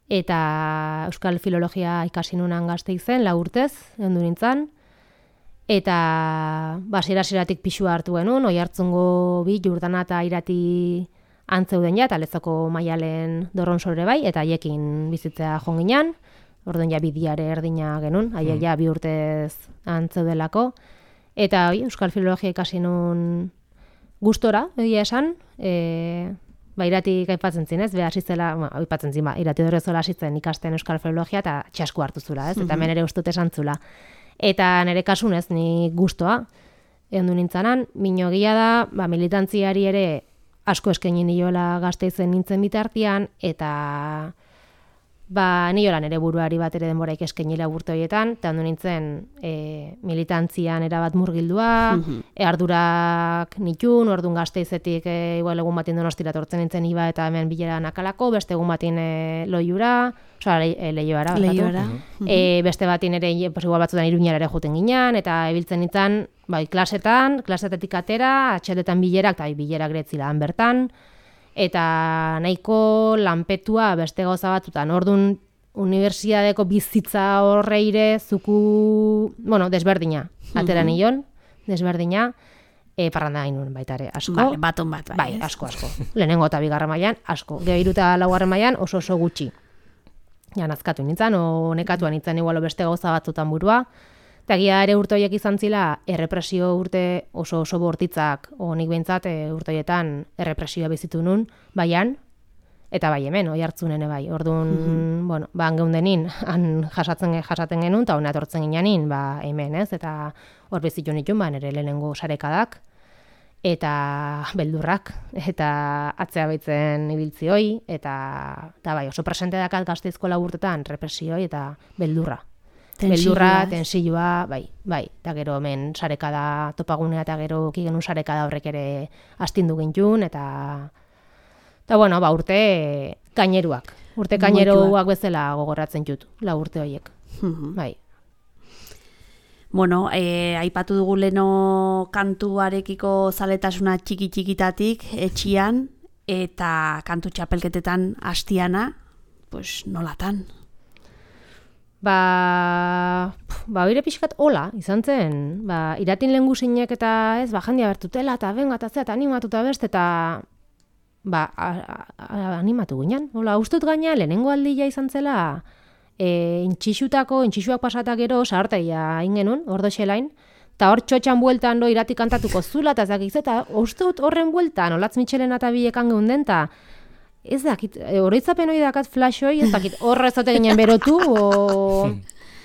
eta Euskal Filologia ikasi nunan Gasteizen, lau urtez, ondu nintzen, eta ba, hasiera-hasieratik pixua hartu genuen, Oiartzungo bi, Jurdana eta Irati antzeuden ja, eta Lezoko Maialen Dorronsore bai, eta haiekin bizitzea joan ginen, orduan ja bidiare erdina genuen, haiek ja bi urtez antzeudelako, eta oi, Euskal Filologia ikasi nun gustora, egia esan, e, ba, iratik aipatzen zinez, beha hasitzela, ba, aipatzen zin, ba, irati Dorrezola hasitzen ikasten Euskal Filologia, eta txasku hartu zula, ez? Eta hemen ere ustut esan zula. Eta nire kasunez, ni gustoa, egon du nintzanan, mino egia da, ba, militantziari ere asko eskaini niola Gasteizen nintzen bitartian, eta ba, niola nire buruari bat ere denboraik eskainila urte horietan, eta ondo nintzen e, militantzian erabat murgildua, e, ardurak nitun, orduan Gasteizetik e, igual egun batin Donostira tortzen nintzen iba eta hemen bilera nakalako, beste egun batin e, loiura, osea, le, e, leioara. Leioara. E, beste batin ere, pues, igual batzutan Iruñara ere juten ginen, eta ebiltzen nintzen, bai, klasetan, klasetetik atera, atxetetan bilerak, eta bilerak gretzilaan bertan, eta nahiko lanpetua beste gauza batzutan. Orduan, unibertsitateko bizitza horreire zuku, bueno, desberdina, atera nion, desberdina, e, parranda hainun baita ere, asko. Vale, baton bat, bai. Bai, ez? asko, asko. Lehenengo eta bigarren mailan asko. Gero hiru eta laugarren mailan oso oso gutxi. Ja, nazkatu nintzen, o nekatuan nintzen igualo beste gauza batzutan burua. Eta gira ere urte horiek izan zila, errepresio urte oso oso bortitzak, o nik behintzat e, urte horietan errepresioa bizitu nun, baian, eta bai hemen, Oiartzunen bai. Orduan, mm-hmm. bueno, ba, geundenin, han jasatzen, jasaten genuen, eta hona etortzen gineanin, ba, hemen, ez? Eta hor bizitu nituen, ba, nire lehenengo sarekadak, eta beldurrak, eta atzea baitzen ibiltzi hoi, eta, eta bai, oso presente dakat Gasteizko lau urtetan, represioi eta beldurra. Beldurra, tensioa, bai, bai, eta gero hemen sarekada topagunea eta gero kigenun sarekada horrek ere astindu gintun, eta eta bueno, ba, urte kaineruak, urte kaineruak bezala gogoratzen jut, la urte horiek, bai. Bueno, e, aipatu dugu leno kantuarekiko zaletasuna txiki-txikitatik, etxian, eta kantu txapelketetan hastiana, pues nolatan? Ba, ba, bire pixkat hola, izan zen, ba, iratin lehen guzinek eta ez, ba, jandia bertutela, eta benga, eta zea, eta animatuta beste, eta ba, a, a, animatu ginen. Hola, ustut gaina, lehenengo aldia izan zela, e, intxixutako, intxixuak pasata gero, sahartaia ingenun, ordo xelain, eta hor txotxan bueltan do irati kantatuko zula, eta zakiz, eta ustut horren bueltan, olatz mitxelen eta bilekan geunden, eta ez dakit, oroitzapen hori dakat flash hori, ez dakit, horra ez dute ginen berotu, o,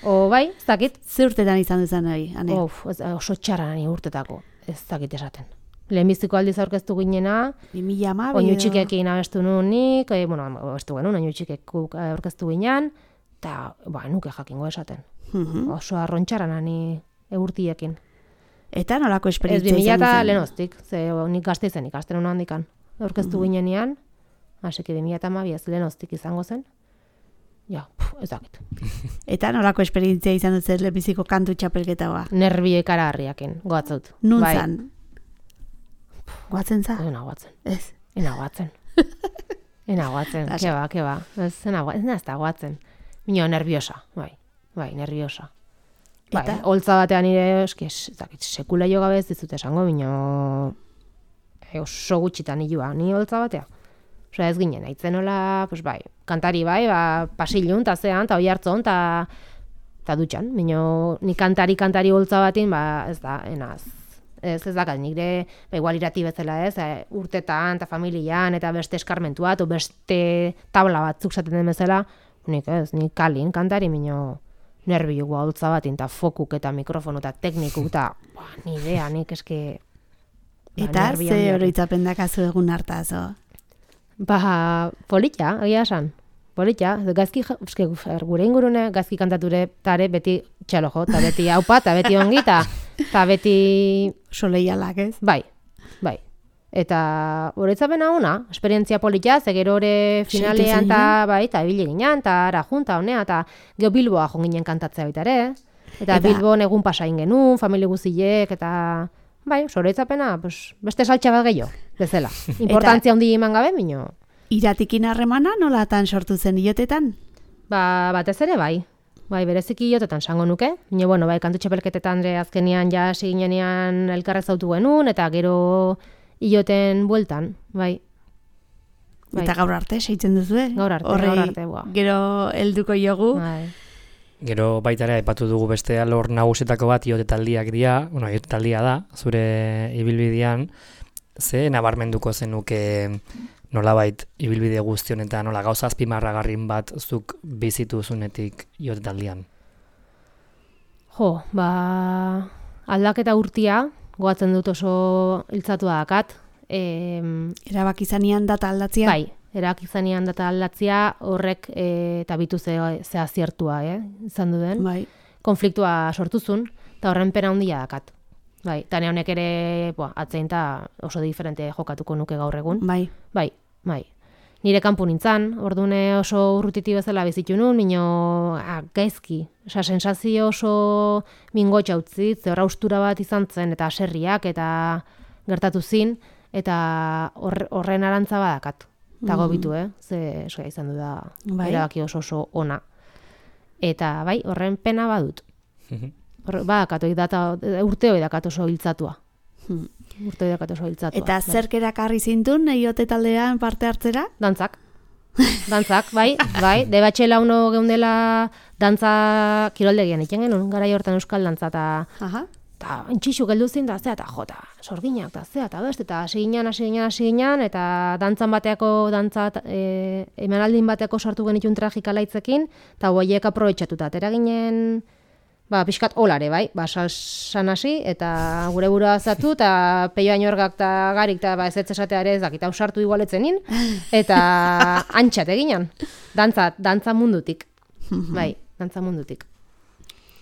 o bai, ez dakit. Ze urtetan izan duzan hori, ane? Of, oso txarra nani urtetako, ez dakit esaten. Lehenbiziko aldiz aurkeztu ginena, bi mila hamabi oinu txikekin abestu nunik, e, bueno, abestu genuen, oinu txikekuk aurkeztu ginen, eta, ba, nuke jakingo esaten. Uh-huh. Oso arrontxarra nani eurtiekin. Eta nolako Ez, esperientzia bi mila izan eta zen? lehenoztik, ze nik Gasteizen ikasten hona handikan. Aurkeztu Mhm. ginenean, hasi que bi mila hamabi ez lehenoztik izango zen. Ja, puf, ez dakit. Eta nolako esperientzia izan dut zer lehenbiziko kantu txapelketa ba? Nervio ikaragarriakin, goatzaut. Nun Bai. zan? Goatzen za? Ena goatzen, Ez. ena goatzen. Ena goatzen, Lasa. ke ba, ke ba. Ez ena goatzen, ez da goatzen. Mino nerviosa, bai, bai, nerviosa. Bai, Eta? holtza batean nire, eski, ez dakit, sekula jo gabe ez dizut esango, mino e, oso gutxitan hilua, ni holtza batea. Osea, ez ginen, haitzen hola, pues bai, kantari bai, ba, pasilun, ta zean, ta oi hartzon, ta, ta dutxan. Mino, ni kantari, kantari holtza batin, ba, ez da, enaz. Ez, ez dakat, nire, ba, igual irati bezala ez, e, urtetan, eta familian, eta beste eskarmentua, eta beste tabla batzuk zaten den bezala, nik ez, nik kalin, kantari, mino, nervio holtza batin, eta fokuk, eta mikrofonu, eta teknikuk, eta, ba, ni idea, nik eske... ba, Eta nervio ze handiak. oroitzapen dakazu egun hartaz, o? Ba, polita, egia esan. Polita, gazki, eske, gure ingurune gazki kantature tare beti txalo jo, eta beti haupa, eta beti ongi, eta beti... Soleialak, ez? Bai, bai. Eta horretzapena ona, esperientzia polita, ze gero ore finalean, eta bai, eta ebile ginen, eta ara junta, honea, eta geho Bilboa jo ginen kantatzea baita ere, eta, eta Bilbon egun pasain genuen, familie guztiek, eta... Bai, horretzapena, pues, beste saltxa bat gehiago, bezala. Importantzia handi eman gabe, bino... Iratikin harremana nolatan sortu zen iotetan? Ba, batez ere bai. Bai, bereziki iotetan sango nuke. Bino, bueno, bai, kantu txapelketetan ere azkenian ja ginenean elkarrez zautu genuen, eta gero ioten bueltan, bai. bai. Eta gaur arte, seitzen duzu, eh? Gaur arte, Horri, gaur arte, boa. Gero helduko jogu. Bai. Gero baita ere aipatu dugu beste alor nagusetako bat iote taldiak dira, bueno, iote taldia da, zure ibilbidean, ze nabarmenduko zenuke nolabait ibilbide guztion eta nola gauza azpimarragarrin bat zuk bizitu zunetik iote taldian? Jo, ba, aldaketa urtia, goatzen dut oso hiltzatua dakat. E, Erabaki zanean data aldatzia? Bai, erabaki zanean data aldatzia horrek e, eta bitu ze, ze aziertua, eh, izan duden. Bai. Konfliktua sortuzun, eta horren pena handia dakat. Bai, eta honek ere boa, atzein eta oso diferente jokatuko nuke gaur egun. Bai. Bai, bai. Nire kanpu nintzan, ordune oso urrutiti bezala bizitu nun, mino ah, gaizki. Osa, sensazio oso mingotxa utzi, ze horra ustura bat izan zen, eta aserriak, eta gertatu zin, eta hor, horren arantza badakat. Eta Mhm. gobitu, eh? Ze soia izan du da Bai. erabaki oso oso ona. Eta bai, horren pena badut. Hor, badakatu, data, urte hori dakat oso hiltzatua. Hmm. Urte hori dakat oso hiltzatua. Eta bai. zerk erakarri zintun iote taldean parte hartzera? Dantzak. Dantzak, bai, bai. Debatxela uno geundela dantza kiroldegian iten genuen, garai hortan euskal dantza, eta Aha. eta entxixu geldu zin, eta zea, eta jota, sorginak, eta zea, eta beste, eta hasi ginen, hasi ginen, hasi ginen, eta dantzan bateako, dantza, e, emanaldin bateako sartu genitun tragikalaitzekin, eta hoiek aprobetxatuta, atera ginen, ba, pixkat olare, bai, ba, salsan hasi, eta gure burua zatu, eta peio ainorgak eta garik, eta ba, ez ez esatea ere ez dakit, hau sartu igualetzenin, eta antxat eginen, dantza, dantza mundutik, bai, dantza mundutik.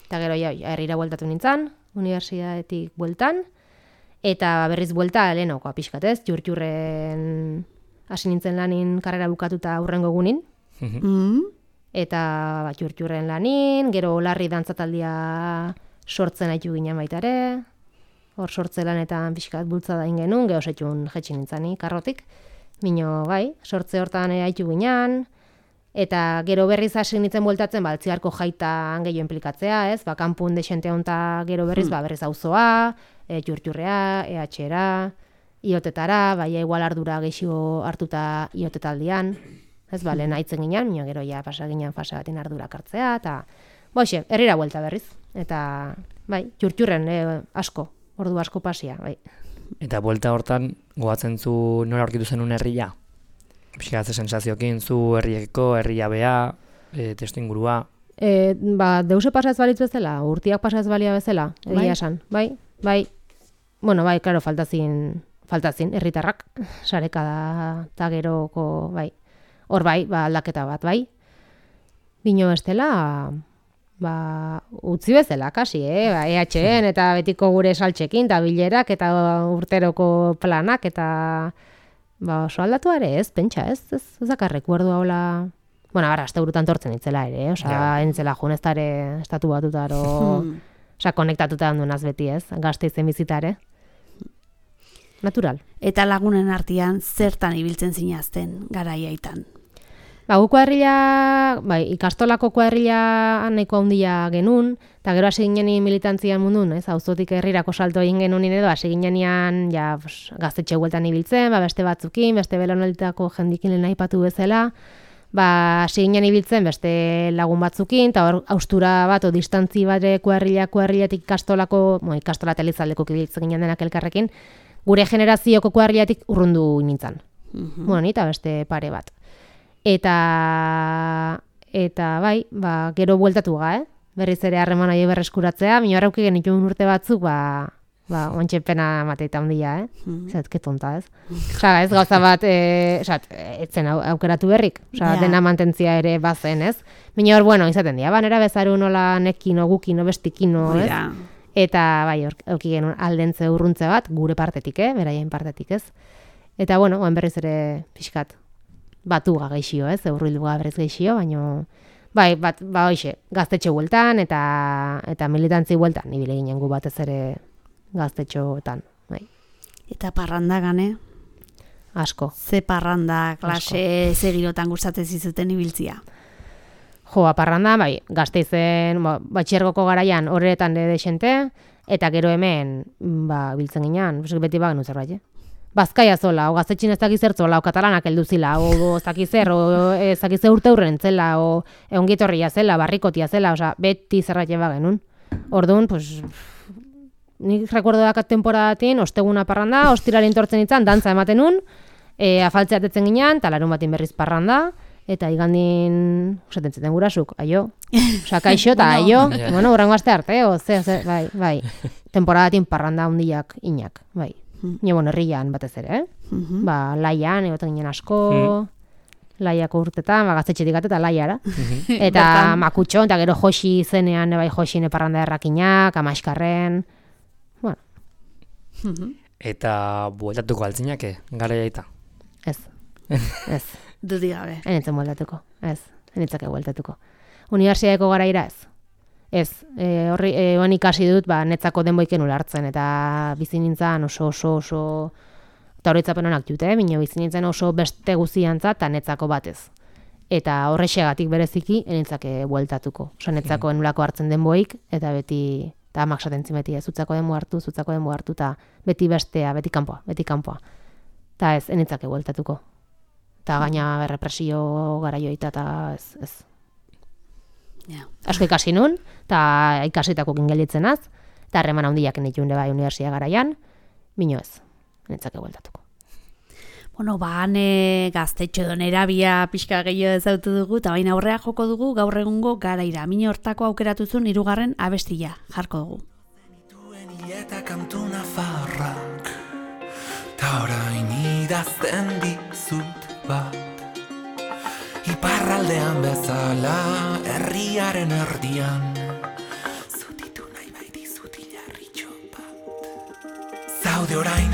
Eta gero, ja, herrira bueltatu nintzen, unibertsitatetik bueltan, eta berriz buelta lehenoko pixkat ez, jurtjurren hasi nintzen lanin karrera bukatuta aurrengo egunin, Mm. eta bat jurtjurren lanin, gero larri dantzataldia sortzen haitu ginen baita ere, hor sortze lanetan pixkat bultzada ingenun, geho setxun jetxin nintzani karrotik, mino bai, sortze hortan haitu ginen, eta gero berriz hasi nintzen bueltatzen, ba, altziarko jaitan gehiago implikatzea, ez, ba, kanpun desente honta gero berriz, ba, berriz auzoa, e, jurtjurrea, E H-era, iotetara, bai, igual ardura gehiago hartuta iotetaldian, ez, ba, lehen haitzen ginen, mino gero ja pasa ginen fase batin ardura hartzea, eta, boixe, herrira buelta berriz, eta, bai, jurtjurren e, asko, ordu asko pasia, bai. Eta buelta hortan, goatzen zu nora aurkitu zenun herria? Pixka ze sensaziokin, zu herrieko, herria bea, e, testu ingurua. E, ba, deuse pasa ez balitz bezala, urtiak pasa ez balia bezala, egia Bai. esan, bai, bai, bueno, bai, klaro, faltazin, faltazin, herritarrak, sareka da, eta geroko, bai, hor bai, ba, aldaketa bat, bai, bino estela, ba, utzi bezala, kasi, eh, ba, E H-en, eta betiko gure saltxekin, eta bilerak, eta urteroko planak, eta, ba, oso aldatu ere, ez, pentsa, ez, ez, ez dakarrek, guardu haula, bueno, ara, azte burutan tortzen itzela ere, eh? Osa, Ja. entzela juneztare, estatu batutaro, Hmm. osa, konektatuta handunaz beti, ez, gazte izen bizitare. Natural. Eta lagunen artean zertan ibiltzen zinazten garaiaitan? Ba, gu kuadrilla, bai, ikastolako kuadrilla nahiko handia genuen, eta gero hasi ginen militantzian mundun, ez, auzotik herrirako salto egin genuen edo, hasi ginean, ja, pues, gaztetxe bueltan ibiltzen, ba, beste batzukin, beste belaunalditako jendikin lehen aipatu bezala, ba, hasi ginen ibiltzen beste lagun batzukin, eta hor austura bat, o distantzi bare kuadrilla, kuadrillatik ikastolako, mo, ikastola telizaldeko ibiltzen ginen denak elkarrekin, gure generazioko kuadrillatik urrundu nintzen. Mhm. Bueno, ni eta beste pare bat. Eta, eta bai, ba, gero bueltatu ga, eh? Berriz ere harreman aio berreskuratzea, mino arrauki genituen urte batzuk, ba, ba, ontxe pena mateita handia, eh? Zet, que tonta, ez? Osa, ez gauza bat, e, osa, etzen aukeratu berrik, osa, Ja. dena mantentzia ere bazen, ez? Mino hor, bueno, izaten dira, ba, nera bezaru nola nekino, gukino, bestikino, ez? Mira. Eta, bai, hor, euki genuen aldentze urruntze bat, gure partetik, eh? Beraien partetik, ez? Eta, bueno, oen berriz ere pixkat, batu geixio, ez? Eurrildu berriz geixio, baino... Bai, bat, ba, hoxe, gaztetxo bueltan eta eta militantzi bueltan, nibile ginen gu batez ere gaztetxoetan, bai, Eta parranda gane, asko. ze parranda, klase, ze girotan gustatzen zizuten ibiltzia. Jo, aparranda, bai, Gasteizen, ba, batxergoko garaian horretan de desente, eta gero hemen, ba, biltzen ginean, beti bagen zerbait, eh? Bazkaia zola, o gaztetxin ez dakiz zertzola, o katalanak heldu zila, o ez dakiz zer, o ez dakiz zer urte hurren zela, o eongietorria zela, barrikotia zela, osea, beti zerbait eba genuen. Orduan, pues, nik rekordo dakat temporadatin, osteguna parranda, ostiraren tortzen itzan, dantza ematen nun, e, afaltzea tetzen ginean, eta larun batin berriz parranda, eta igandin, osaten zeten gurasuk, aio, osea, kaixo eta aio, bueno, urrengo aste arte, o, ze, ze, bai, bai, temporadatin parranda hundiak inak, bai. Nio, bueno, herrian batez ere, eh? Mhm. Ba, laian, egoten ginen asko, laiako urtetan, ba, gaztetxetik eta laiara. Eta Bertan. makutxo, eta gero josi zenean, bai, josi neparranda errakinak, amaiskarren, bueno, Eta bueltatuko altzinake, gara jaita. ez, ez, Dudik gabe. enitzen bueltatuko, ez, enitzake bueltatuko. Unibertsitateko garaira ez. Ez, e, horri, e, oan ikasi dut, ba, netzako denboiken ulartzen, eta bizi nintzen oso, oso, oso, eta horretzapen honak jute, minio bizi nintzen oso beste guziantza, eta netzako batez. Eta horrexegatik bereziki, enitzake bueltatuko. Osa, netzako enulako hartzen denboik, eta beti, eta amak satentzin beti, ez, zutzako denbo hartu, zutzako denbo hartu, eta beti bestea, beti kanpoa, beti kanpoa. Eta ez, enitzake bueltatuko. Eta gaina berrepresio garaioita, eta ez, ez. Ja. Asko ikasi nun, eta ikasitako kingelitzen az, eta harreman handiak nituen bai universia garaian, mino ez, netzake bueltatuko. Bueno, ba, hane gaztetxo edo nerabia pixka gehiago ezautu dugu, eta baina aurrea joko dugu gaur egungo garaira. Mine hortako aukeratu zuen hirugarren abestia jarko dugu. Duen hileta kantu nafarrak, ta orain idazten dizut bat. Iparraldean bezala, herriaren erdian, zutitu nahi bai dizut hilarritxo bat. Zaude orain,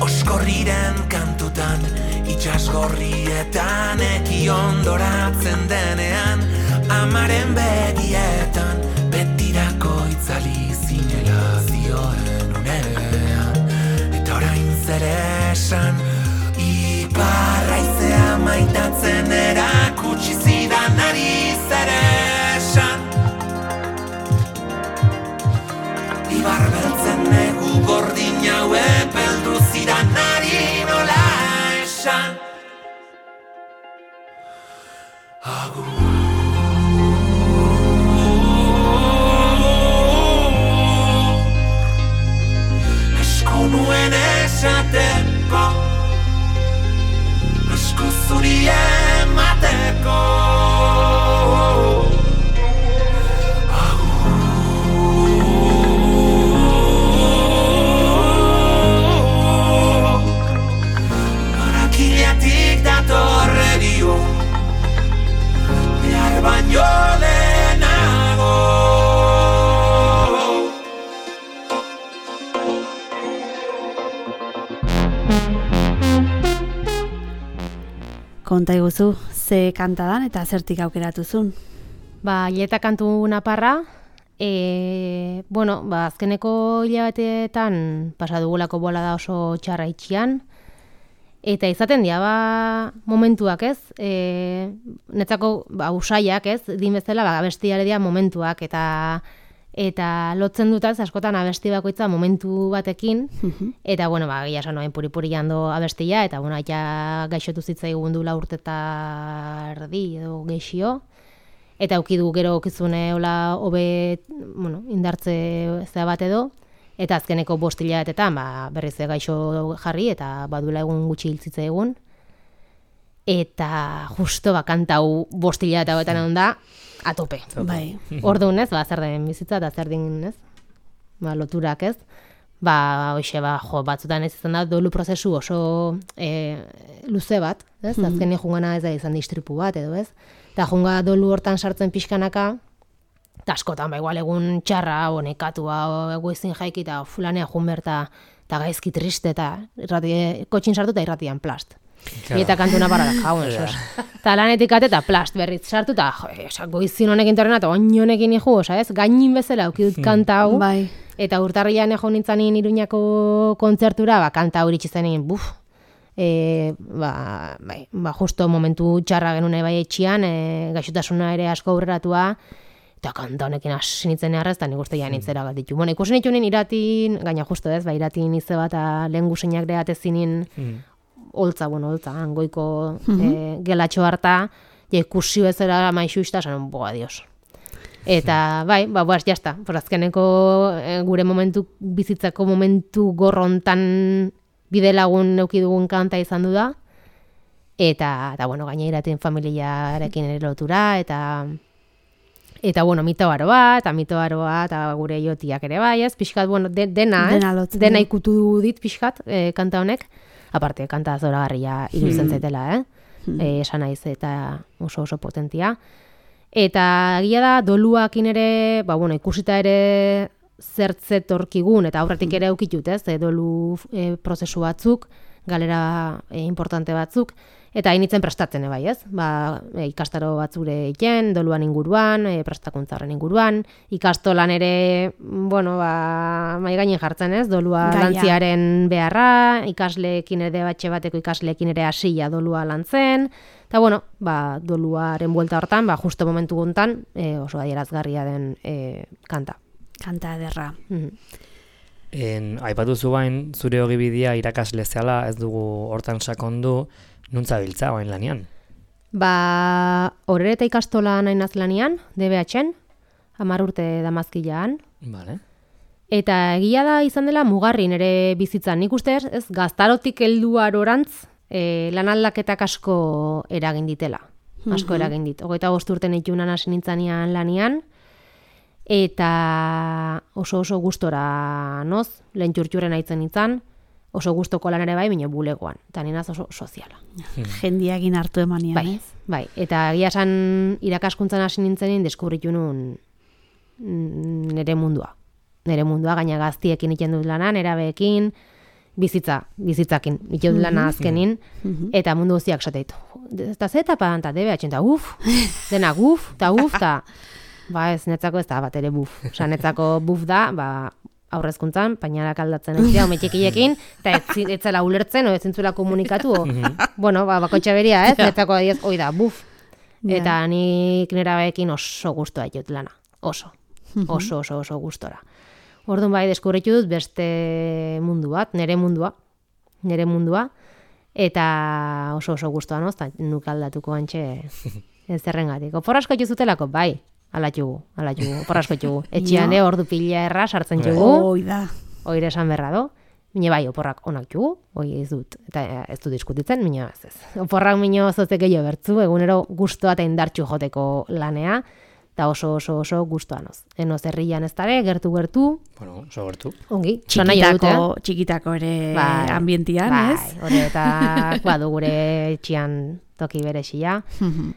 oskorriren kantutan, itxasgorrietan, eki ondoratzen denean, amaren begietan, betirako itzali zinela zioen unean. Eta orain zer esan, iparraizea maitatzen erakutsi zidan ari zer esan. Ibar beltzen negu gordin haue beldu zidan ari nola esan. Agur. Esko nuen esateko, asko zuri emateko. Agur. Barakiletik datorre dio, behar baino lehenago. Konta iguzu, ze kantadan eta zertik aukeratu zuen. Ba, hileta kantu naparra, e, bueno, ba, azkeneko hilabeteetan pasa dugulako bola da oso txarra itxian, eta izaten dira, ba, momentuak ez, e, netzako, ba, usaiak ez, din bezala, ba, abestiare dira momentuak, eta eta lotzen dutaz askotan abesti bakoitza momentu batekin, eta, bueno, ba, gila esan noen puri-puri jando abestia, eta, bueno, aita gaixotu zitzaigun du la urte eta erdi edo geixio, eta aukidu gero okizune hola hobe, bueno, indartze zea bat edo, eta azkeneko bost hilabetetan, ba, berriz gaixo jarri, eta badula egun gutxi hiltzitza egun, eta justo ba, kantau bost hilabete hauetan egon da, atope. Bai. Orduan ez, ba, zer den bizitza eta zer den ez, ba, loturak ez, ba, hoxe, ba, jo, batzutan ez izan da, dolu prozesu oso e, luze bat, ez? Mm-hmm. Azkenean jungana ez da izan distripu bat, edo ez? Eta junga dolu hortan sartzen pixkanaka, eta askotan, ba, igual egun txarra, o nekatua, o egoizin jaiki, eta fulanea jun berta, eta gaizki triste, eta irrati, kotxin sartu eta irratian plast. Claro. Eta kantuna parada, jaun, esos. Eta lanetik ate, eta plast berriz sartu, eta jo, goizin honekin torrena, eta oin honekin iku, osa ez, gainin bezala aukidut kanta hau, Bai. eta urtarrian egon nintzanin Iruñako kontzertura, ba, kanta hori txizenin, buf, e, ba, bai, ba, justo momentu txarra genune bai etxian, e, gaixotasuna ere asko aurreratua, eta kanta honekin hasi nintzen errez, eta nik uste ja nintzera bat ditu. Bueno, ikusi nitunen iratin, gaina justo ez, ba, iratin ize bat, lehen gusenak deatezinin, mm. Oltza, bueno, oltza, angoiko mm-hmm. e, gelatxo harta, ja ikusi bezala maixu izta, sanon, boa, dios. Eta, bai, ba, boaz, jazta, porazkeneko e, gure momentu, bizitzako momentu gorrontan bide lagun neukidugun kanta izan du da, eta, eta bueno, gaina iratin familiarekin ere lotura, eta, eta, bueno, mito aroa, eta mito aroa, eta gure jotiak ere bai, ez, pixkat, bueno, de, dena, dena, ez, dena ikutu dit pixkat, e, kanta honek, aparte, kanta zoragarria iruditzen Hmm. zaitela, eh? Hmm. E, esan naiz eta oso oso potentia. Eta egia da, doluakin ere, ba, bueno, ikusita ere zertzetorkigun, eta aurretik ere eukitut, ez? E, dolu e, prozesu batzuk, galera e, importante batzuk, eta hainitzen prestatzen bai, ez? Ba, e, ikastaro batzure egiten, doluan inguruan, e, prestakuntzaren inguruan, ikastolan ere, bueno, ba, mai gainin jartzen, ez? Dolua Gaia. lantziaren beharra, ikasleekin ere batxe bateko ikasleekin ere hasia dolua lantzen, eta bueno, ba, doluaren buelta hortan, ba, justo momentu guntan, e, oso adierazgarria den e, kanta. Kanta ederra. Mhm. En, aipatu zuain, zure ogibidea irakasle zehala, ez dugu hortan sakondu, nuntza biltza oain lanian? Ba, horreta ikastola nahi naz lanian, D B H-en, hamar urte damazkilaan. Vale. Eta egia da izan dela mugarri nere bizitzan. Nik uste ez, ez gaztarotik heldu arorantz, e, lan aldaketak asko eragin ditela. Asko Mhm. eragin dit. Hogeita bost urten itunan hasi nintzanean lanian, eta oso oso gustora noz, lehen txurtxuren aitzen nintzen, oso gustoko lan ere bai, baina bulegoan. Eta ninaz oso soziala. Jendiagin hartu emanian, Bai, ez? bai. Eta egia esan irakaskuntzan hasi nintzenin deskubritu nun mm, nere mundua. Nere mundua, gaina gaztiekin iten dut lana, nerabeekin, bizitza, bizitzakin iten dut lana azkenin, Mhm. eta mundu guztiak esateitu. Eta ze etapa, eta D B H, eta uf, dena guf, eta uf, eta ba ez, netzako ez da bat ere buf. Osa, netzako buf da, ba, aurrezkuntzan, painarak aldatzen ez dira, umetxekiekin, eta ez, zi- ez zela ulertzen, o ez zintzula komunikatu, o, bueno, ba, bakotxa beria, ez, netzako adiez, oi da, buf. Ja. Eta nik nerabeekin oso gustoa jut lana, oso, oso, oso, oso gustora. Orduan bai, deskubritu dut beste mundu bat, nere mundua, nere mundua, eta oso oso gustoa noz, eta nuk aldatuko antxe ez zerrengatik. Oporrasko juzutelako, bai, alatxugu, alatxugu, oporrasko txugu. Etxean Ja. de ordu pila erra sartzen txugu, Hoi da. oire esan berra do, mine bai, oporrak onak txugu, hoi ez dut, eta eh, ez dut diskutitzen, mine ez ez. Oporrak mino zotek gehiago bertzu, egunero gustoa eta indartxu joteko lanea, eta oso oso oso gustoa noz. Enoz herrian ez dare, gertu-gertu, Bueno, oso gertu. ongi, so nahi dut, Txikitako, eh? txikitako ere Bai, ambientian, bai, ez? horretak badu gure etxian toki berexia, Mhm.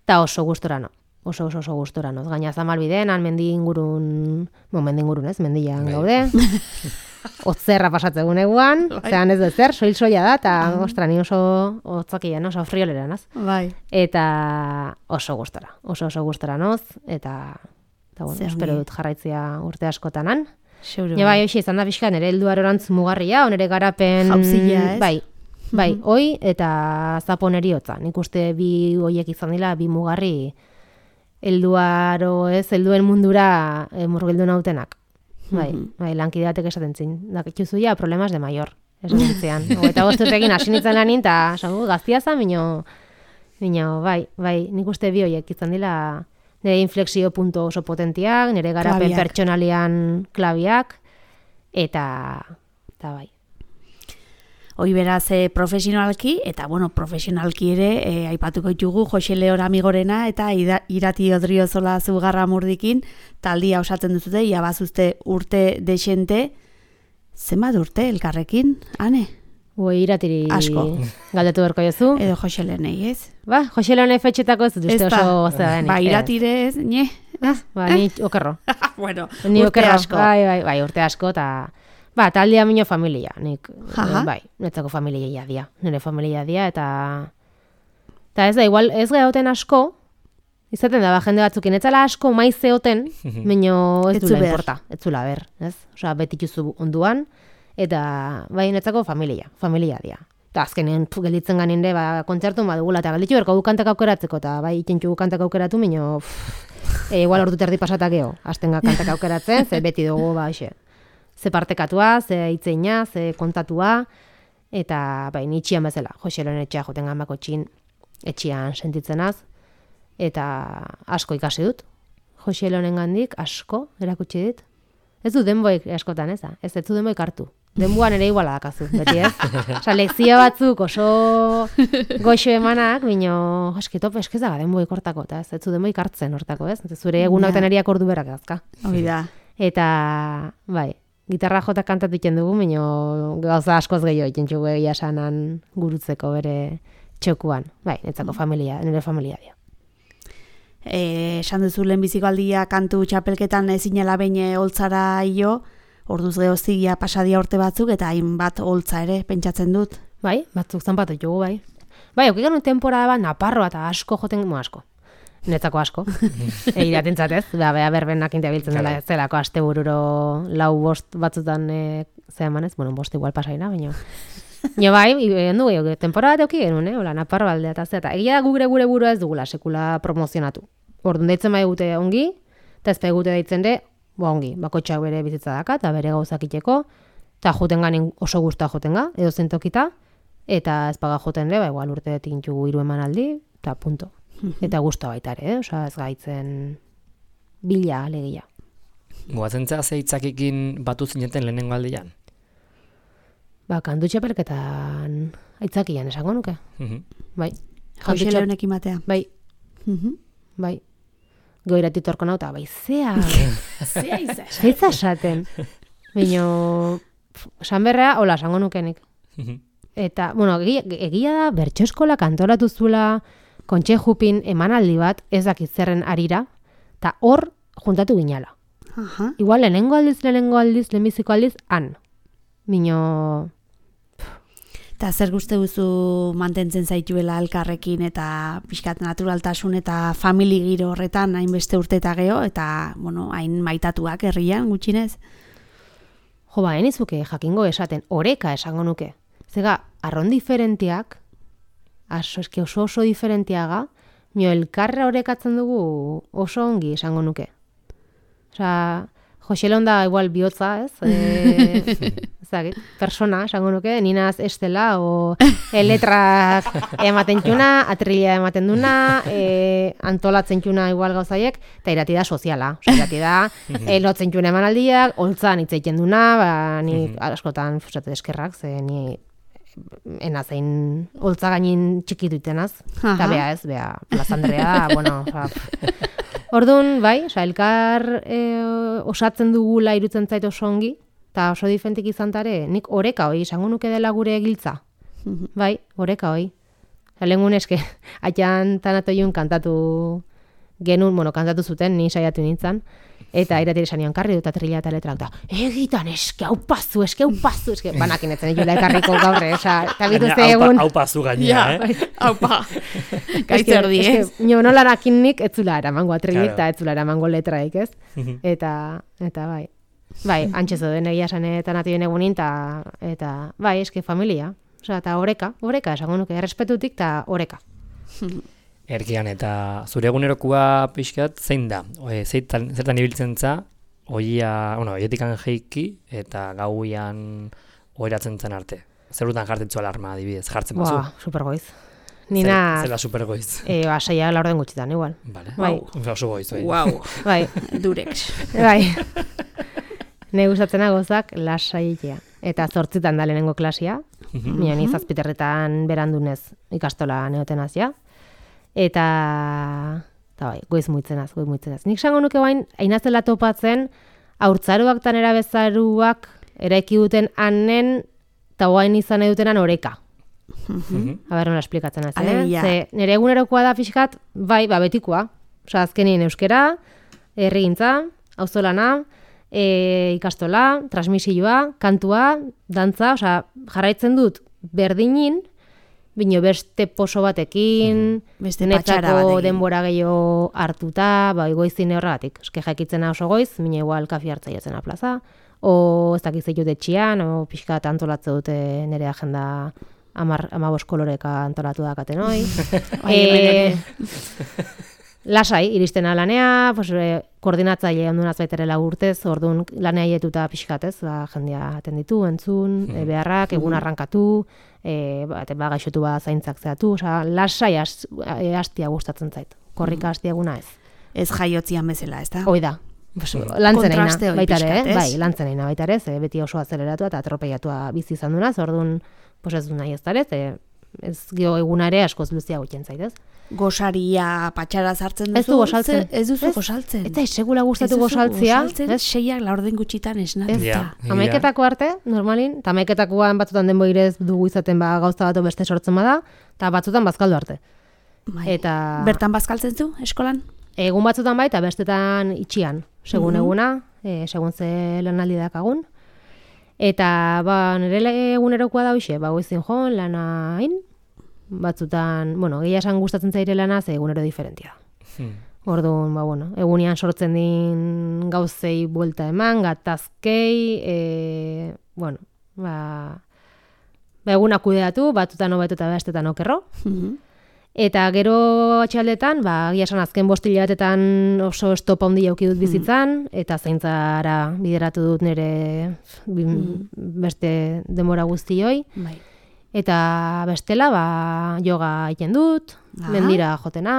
eta oso gustora no. Oso oso oso gustora no. Gaina Zamalbiden, han mendi ingurun, bo, mendi ingurun ez, mendian Bai. gaude. Otzerra pasatzen eguan, zean ez dut zer, soil soia da, eta ostra, ni oso otzakian, oso friolera naz. Bai. Eta oso gustora, oso oso gustora noz, eta, eta bueno, Zer espero ongi. dut jarraitzea urte askotanan. Xeuro. Ja, bai, hoxe, izan da pixka, nire heldu arorantz mugarria, onere garapen... Jauzia, ez? Bai, bai, hoi eta zaponeri hotza. Nik uste bi hoiek izan dira, bi mugarri helduaro, ez, helduen mundura e, murgildu nautenak. Bai, bai, lankide batek esaten zin. Dakitzuzu ja, problemas de mayor. Esan ditzean. Eta gozturtekin hasi nintzen lanin, eta esango, gaztia zan, mino, mino, bai, bai, nik uste bi hoiek izan dira nire inflexio punto oso potentiak, nire garapen Klabiak. pertsonalian klabiak, eta, eta bai. Hoi beraz e, profesionalki, eta bueno, profesionalki ere, e, aipatuko ditugu Jose Leor Amigorena eta ida, Irati Odriozola Zugarra Murdikin, taldia osatzen duzute, ia bazuzte urte desente, Zenbat urte elkarrekin, Ane? Ui, iratiri Asko. galdetu berko jozu. Edo Jose Lenei, ez? Ba, Jose Leone fetxetako ez dut uste Ez da. oso gozea denik. Ba, iratire ez, ne? Ba, ni okerro. Bueno, Ni urte okerro. asko. Bai, bai, bai, urte asko, eta... Ba, taldea minio familia, nik, Jaja. bai, netzako familia dia, nire familia dia, eta... Eta ez da, igual, ez gehauten asko, izaten da, ba, jende batzukin, etzala asko maiz zeoten, baino ez Ez zu dula behar. importa, ez zula ber, ez? Osa, betituzu onduan, eta, bai, netzako familia, familia dia. Eta azkenean pf, gelditzen ganinde, ba, kontzertu badugula, eta galditxu berko gukantak aukeratzeko, eta bai, itxentxu gukantak aukeratu, baino, pff, e, igual ordu terdi pasatak geho, aztenga kantak aukeratzen, ze beti dugu, ba, xe, ze partekatua, ze hitzeina, ze kontatua, eta bai, nitxian bezala, Jose Leone etxea joten gambako txin, etxian sentitzenaz, eta asko ikasi dut. Jose Leonen gandik asko erakutsi dit. Ez du denboik askotan, ez da? Ez, ez du denboik hartu. Denboan ere iguala dakazu, beti ez? Osa, lekzio batzuk oso goxo emanak, bino, eski tope, eskez daga denboik hortako, eta ez, ez du denboik hartzen hortako, ez? Zure egunak teneriak ordu berak azka. Hori da. Eta, bai, gitarra jota kantatu iten dugu, baina gauza askoz gehiago iten txugu egia sanan gurutzeko bere txokuan. Bai, netzako familia, nire familia dio. Eh, esan duzu lehenbiziko aldia kantu txapelketan ezinela behin holtzara io, orduz gehozigia pasadia urte batzuk, eta hainbat holtza ere, pentsatzen dut. Bai, batzuk zanpatu jugu, bai. Bai, okik genuen temporada bat, Naparroa eta asko joten, mo asko. Netzako asko. Eiratentzat ez, da, bea berbenak intiabiltzen dela ez zelako aste bururo lau bost batzutan e, zea emanez, bueno, bost igual pasaina, baina... Jo bai, endu gehiago, temporada bat euki genuen, eh? Ola, Naparro aldea eta zea, eta egia da gure gure burua ez dugula sekula promozionatu. Orduan deitzen bai gute ongi, eta ez bai gute deitzen de, ba ongi, bakotxak bere bizitza daka, eta bere gauzak iteko, eta joten ganin oso guztua joten ga, edo zentokita, eta ez paga joten de, ba igual urte tintugu hiru emanaldi, eta punto. Eta guztua baita ere, eh? Osa ez gaitzen bila alegia. Goatzen zea ze hitzakekin batu zineten lehenengo aldian? Ba, kantu txapelketan aitzakian esango nuke. Bai. Jose Leonekin batea. Bai, Mhm. bai. Goiratik torko nauta, bai, zea. Zea iza. Zeitza esaten. Bino, esan berrea, hola, esango nukenik. Eta, bueno, egia, egia da, bertso eskola kantoratu zula, Kontxe Jupin emanaldi bat, ez dakit zerren arira, eta hor juntatu ginala. Aha. Igual, lehenengo aldiz, lehenengo aldiz, lehenbiziko aldiz, han. Bino, Eta zer guzti duzu mantentzen zaituela elkarrekin eta pixkat naturaltasun eta famili giro horretan hainbeste urte eta geho, eta, bueno, hain maitatuak herrian gutxinez. jo, ba, enizuke jakingo esaten, oreka esango nuke. Zega, arron diferentiak, aso, eski oso oso diferentiaga, mio elkarra orekatzen dugu oso ongi esango nuke. Osa, Jose Leonda igual bihotza, ez? E, ezagit, persona, esango nuke, ninaz estela, o e, letrak ematen txuna, atrilia ematen duna, e, antolatzen txuna igual gauzaiek, eta irati da soziala. Osa, irati da, e, lotzen txuna emanaldiak, holtzan hitz egiten duna, ba, ni askotan fusatu eskerrak, ze ni enazein holtza gainin txikitu itenaz, eta bea ez, bea, plazandrea, bueno, oza, orduan, bai, oza, elkar e, osatzen dugula irutzen zait oso ongi, eta oso diferentik izan tare, nik oreka hoi, esango nuke dela gure giltza. Bai, oreka hoi. Lehengun eske, atxan tanatoiun kantatu genuen, bueno, kantatu zuten, ni saiatu nintzen, eta iratire sanian karri dut atrila eta letrak da, egitan eske hau pazu, eske hau pazu, eske banakin etzen egula ekarriko gaurre, oza, eta bituzte egun. Hau pazu gaina, eh? Haupa, gaitzer di, ez? Nio nolarakin nik etzula eramango atrilik Claro. eta etzula eramango letraik, ez? Eta, eta bai. Bai, antxezo den egia sanetan atien egunin, eta, eta bai, eske familia. Osa, eta oreka, oreka, esango nuke, errespetutik eta oreka. Erkian, eta zure egunerokua pixkat zein da? Oe, zeitan, zertan ibiltzen za, oia, bueno, oietikan jeiki, eta gauian oiratzen zen arte. Zerutan jartetzu alarma, adibidez, jartzen bazu. Boa, supergoiz. Nina, Zela supergoiz. e, ba, saia laurden gutxitan, igual. Vale. Bai. Oso goiz, bai. Wow, Bai, durex. bai. Ne gustatzena gozak lasaitea. Eta zortzitan da lehenengo klasia. Mina ni zazpiterretan berandunez ikastola neotenaz ja. Eta, eta bai, goiz muitzenaz, goiz muitzenaz. Nik sango nuke bain, ainazela topatzen, haurtzaruak tanera bezaruak eraiki duten anen, eta guain izan edutenan oreka. Aber, nola esplikatzen az, eh? Ze, nire egunerokoa da pixkat, bai, ba, betikoa. Osa, azkenien euskera, herrigintza, auzolana, e, ikastola, transmisioa, kantua, dantza, osa, jarraitzen dut berdinin, bino beste poso batekin, beste patxara netako batekin. denbora gehiago hartuta, ba, goizin horregatik. Eske jakitzena oso goiz, mine igual kafi hartza jatzen plaza, o ez dakiz ditut etxian, o pixka antolatze dute nire agenda amar, amabos koloreka antolatu dakaten hoi. e, lasai, iristen alanea, pues, e, koordinatzaile ondunaz baitere lau urtez, orduan lanea hietuta pixkatez, ba, jendea atenditu, entzun, e, beharrak, egun arrankatu, e, ba, ba, gaixotu ba zaintzak zeatu, oza, lasai has, e, hastia gustatzen zait, korrika hastia eguna ez. Ez jaiotzian bezala, ez da? Hoi da. Pues, lantzeneina, Kontraste hori baitare, pixkat, ez? bai, lantzeneina baitare, ze beti oso azeleratua eta atropeiatua bizi izan dunaz, orduan, pues ez du nahi ez dara, ez, ez gio egunare askoz luzia gutien zaitez. Gosaria patxara zartzen duzu? Ez du gosaltzen. Ez duzu gosaltzen. Eta segula gustatu gosaltzia. Ez seiak laurden gutxitan esna. Ez Ja, da. Hamaiketako arte, normalin, eta hamaiketakoan batzutan denboirez dugu izaten ba gauza bat beste sortzen bada, eta batzutan bazkaldu arte. Bai. Eta Bertan bazkaltzen zu, eskolan? egun batzutan bai, eta bestetan itxian, segun eguna, e, segun ze lanaldi dakagun. Eta ba, nire egunerokoa da hoxe, ba, goizin joan, lana hain, batzutan, bueno, gehiago esan gustatzen zaire lana, ze egunero diferentia da. Orduan, ba, bueno, egunean sortzen din gauzei buelta eman, gatazkei, e, bueno, ba, ba eguna kudeatu, batzutan hobeto eta bestetan okerro. Eta gero atxaldetan, ba, egia esan azken bost hilabetetan oso estopa handia eduki dut bizitzan, eta zaintzara bideratu dut nire beste denbora guztioi. Bai. Eta bestela, ba, yoga egiten dut, mendira jotena,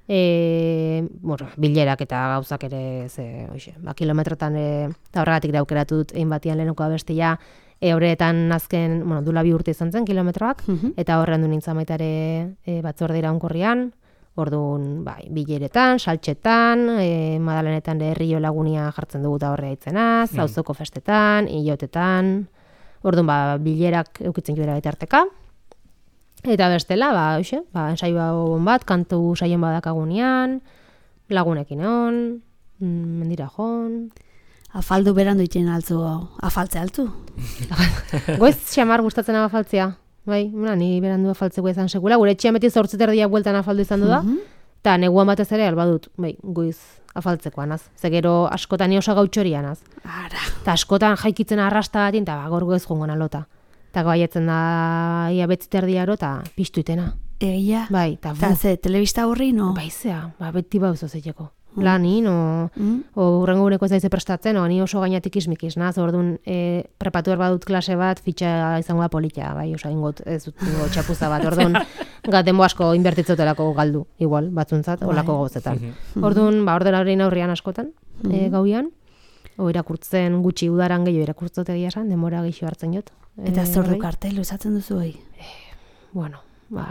e, bueno, bilerak eta gauzak ere, ze, oixe, ba, kilometrotan, e, eta horregatik da aukeratu dut egin batian lehenoko abestia, e, horretan azken, bueno, dula bi urte izan zen kilometroak, eta horren du nintzen baitare e, batzorde iraunkorrian, orduan, bai, bileretan, saltxetan, e, Madalenetan de herrio lagunia jartzen dugu eta horre aitzenaz, mm. auzoko festetan, hilotetan, orduan, ba, bilerak eukitzen joera bitarteka. Eta bestela, ba, hoxe, ba, ensaio bat, kantu saien badakagunean, lagunekin egon, mendira joan. Afaldu berandu itxen altzu, afaltze altzu? Goiz xamar gustatzen afaltzea, bai, una, ni berandu afaltzeko izan sekula, gure etxean beti zortziterdia bueltan afaldu izan du da, eta neguan batez ere albadut, bai, goiz afaltzekoan az. Ze gero askotan ni oso gautxorian az. Ara. Eta askotan jaikitzen arrasta batin, eta ba, gorgo ez jongon alota. Eta gaietzen da, ia betziterdiaro, eta piztu itena. Egia? Bai, eta Eta ze, telebista horri, no? Bai, zea, ba, beti bauzo zeiteko. Lanin, o, Mm. o urrengo guneko ez daize prestatzen, o, ni oso gainatik ismikiz, naz, orduan, e, prepatu behar badut klase bat, fitxa izango da politia, bai, osa, ingot, ez dut, ingo, txapuza bat, orduan, gatembo asko inbertitzotelako galdu, igual, batzuntzat, olako gauzetan. Orduan, ba, ordena horrein aurrian askotan, e, gauian, o, irakurtzen gutxi udaran gehiago irakurtzote egia esan, denbora gehiago hartzen jot. Eta E, zordu horrei. kartel usatzen duzu hoi? Bueno, ba,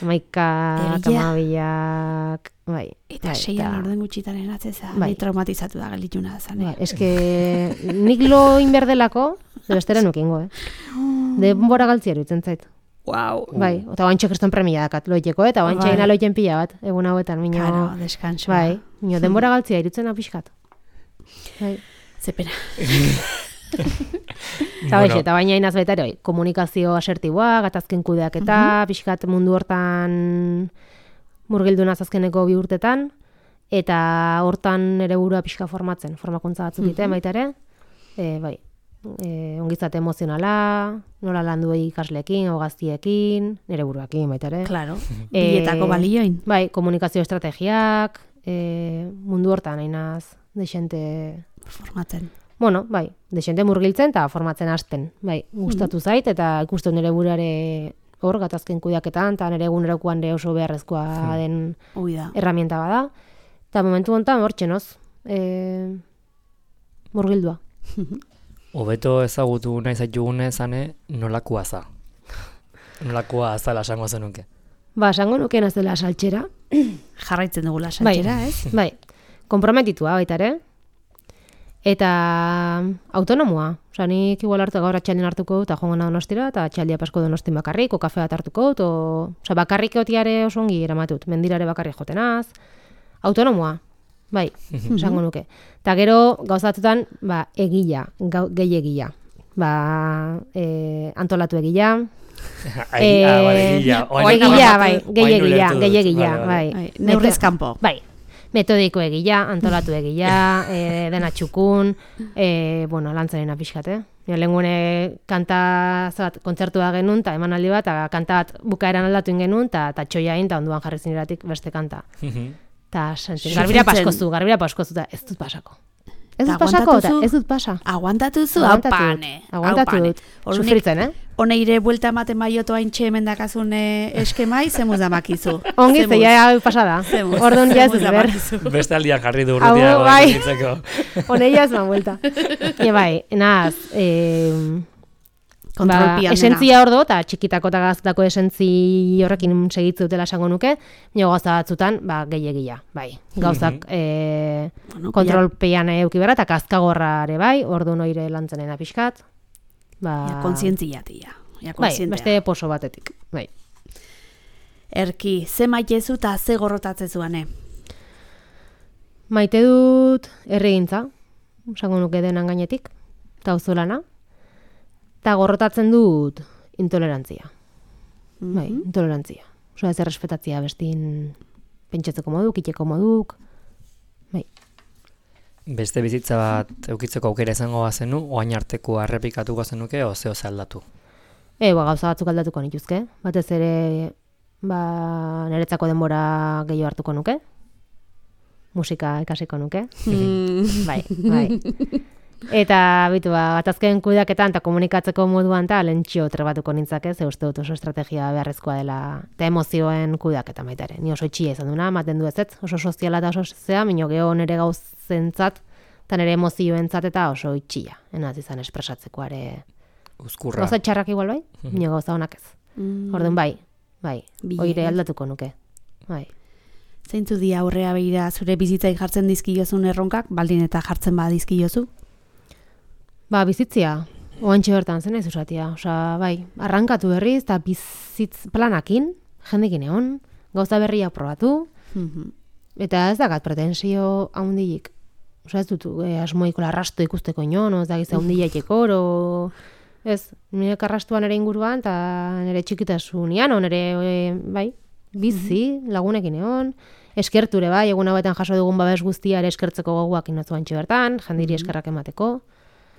maikak, Egia. amabilak, bai. Eta bai, seian orden gutxitan enatzeza, Bai. ni traumatizatu da gelituna zan. Ba, eske nik lo inberdelako, bestera nukingo, eh? Denbora galtzia iruditzen zait. Wow. Bai, eta oantxe kriston premia dakat loiteko, eta oantxe Bai. ina loiten pila bat, egun hauetan, mino, Claro, deskanso. bai, mino denbora galtzia iruditzen apiskat. Bai. Zepena. Eta bueno. Eta baina inaz baita ere, oi, komunikazio asertiboa, gatazken kudeaketa, pixkat mundu hortan murgildu naz azkeneko bi urtetan, eta hortan ere burua pixka formatzen, formakuntza batzuk egiten baita ere, e, bai, e, ongizate emozionala, nola landu ikasleekin, o gaztiekin, nire buruakin baita ere. Claro, E, biletako balioin. Bai, komunikazio estrategiak, e, mundu hortan ainaz, dexente... Formatzen. Bueno, bai, dexente murgiltzen eta formatzen hasten. Bai, gustatu zait eta ikusten nire buruare hor gatazken kudeaketan eta nire egunerokoan ere oso beharrezkoa den Ui da. herramienta bada. Eta momentu honetan hor txenoz, e, murgildua. Hobeto ezagutu nahi zaitugunez, ane, nolakoa za. Nolakoa azala esango zenuke. Ba, esango nukeen az dela saltxera. Jarraitzen dugula saltxera, ez? Bai, konprometitua baita ere. Eta autonomoa. Osa, nik igual hartu gaur atxaldien hartuko dut, eta joango nahi Donostira, eta atxaldia pasko Donostin bakarrik, o kafe bat hartuko dut, o... Osa, bakarrik eotiare oso ongi eramatut, mendirare bakarrik jotenaz. Autonomoa, bai, esango nuke. Eta gero, gauzatutan, ba, egila, gehi egila. Ba, e, antolatu egila. Ai, ah, bai, egila. Egila, bai, gehi egila, gehi egila, bai. Neurriz kanpo. Bai. Metodiko egila, antolatu egila, e, dena txukun, e, bueno, lantzarena pixkat, eh? Lehengune kanta zat, kontzertua genuen, eta emanaldi bat, eta kanta bat bukaeran aldatu genuen, eta txoia egin, eta onduan jarri zineratik beste kanta. Eta, garbira paskozu, garbira paskozu, eta ez dut pasako. Ez dut pasako, eta ez dut pasa. Aguantatu zu, hau pane. Aguantatu dut, sufritzen, eh? Honeire buelta ematen maioto hain txemen dakazun eskemai, zemuz damakizu. Ongi, zeia pasada. Orduan ja ez dut ber. Beste aldia jarri du urrutiago. Bai, honeia ez man buelta. E bai, naz, ba, esentzia ordo, eta txikitako eta gaztako esentzi horrekin segitzu dutela esango nuke, nio gauza batzutan, ba, gehiagia, bai. Gauzak e, kontrolpean eukibera, eta kazkagorrare bai, ordu noire lantzenen pixkat. Ba, ja, kontzientziatia. Ja, bai, beste poso batetik, bai. Erki, ze maitezu eta ze gorrotatzezuane? Maite dut erregintza, esango nuke denan gainetik, eta auzolana. Eta gorrotatzen dut intolerantzia. Mm-hmm. Bai, intolerantzia. Osa ez errespetatzia bestin pentsatzeko moduk, iteko moduk. Bai. Beste bizitza bat eukitzeko aukera izango bazenu, oain arteko errepikatuko zenuke, o zeo aldatu? E, ba, gauza batzuk aldatuko nituzke. Batez ere, ba, niretzako denbora gehiago hartuko nuke. Musika ikasiko nuke. Mm. Bai, bai. Eta, bitu, ba, batazken kudeaketan eta komunikatzeko moduan eta lentxio trebatuko nintzake, ze uste dut oso estrategia beharrezkoa dela, eta emozioen kudeaketa baita ere. Ni oso itxia izan duna, maten du ez ez, oso soziala eta oso zea, minio geho nire gauzentzat, eta nire emozioentzat eta oso itxia. Enaz izan espresatzeko are... Uzkurra. Gauza txarrak igual bai, minio gauza honak ez. Mm. Orduan bai, bai, oire aldatuko nuke. Bai. Zeintzu di aurrea behira zure bizitzai jartzen dizkiozun erronkak, baldin eta jartzen ba dizkiozu? Ba, bizitzia, oantxe bertan zen ez usatia. Osa, bai, arrankatu berriz, eta bizitz planakin, jendekin egon, gauza berria probatu, mm-hmm. Eta ez dakat pretensio haundilik. Osa, ez dut, eh, asmoiko larrasto ikusteko inon, ez dakiz haundilaikeko, oro... Ez, nire karrastuan ere inguruan, eta nire txikitasunian, nire, e, bai, bizi, mm-hmm. lagunekin egon, eskerture, bai, egun hauetan jaso dugun babes guztia ere eskertzeko goguak inotzu antxe bertan, jendiri eskerrak emateko.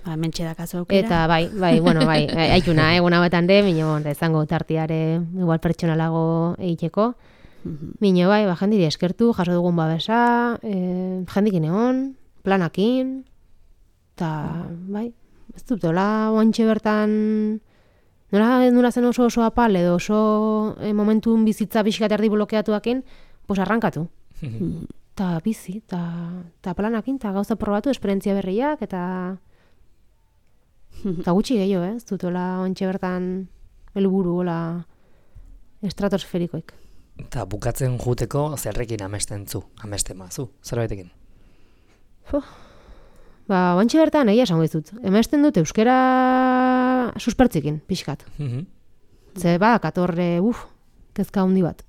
Ba, mentxe dakazu aukera. Eta bai, bai, bueno, bai, aikuna, egun hauetan de, minio, izango tartiare igual pertsonalago egiteko. Mm-hmm. Minio, bai, ba, jendiri eskertu, jaso dugun babesa, e, jendikin egon, planakin, eta, bai, ez dut, dola, oantxe bertan, nola, nola zen oso oso apal, edo oso e, momentun bizitza bixikat erdi blokeatuakin, pues arrankatu. Mm-hmm. Ta bizi, ta planakin, ta gauza probatu, esperientzia berriak, eta... Eta gutxi gehiago, eh? Ez dutola ontxe bertan helburu gola estratosferikoik. Eta bukatzen juteko zerrekin amesten zu, amesten mazu, zerbaitekin? Ba, ontxe bertan egia esango izut. Amesten dut euskera suspertzikin, pixkat. Mm-hmm. Ze ba, katorre, uf, kezka handi bat.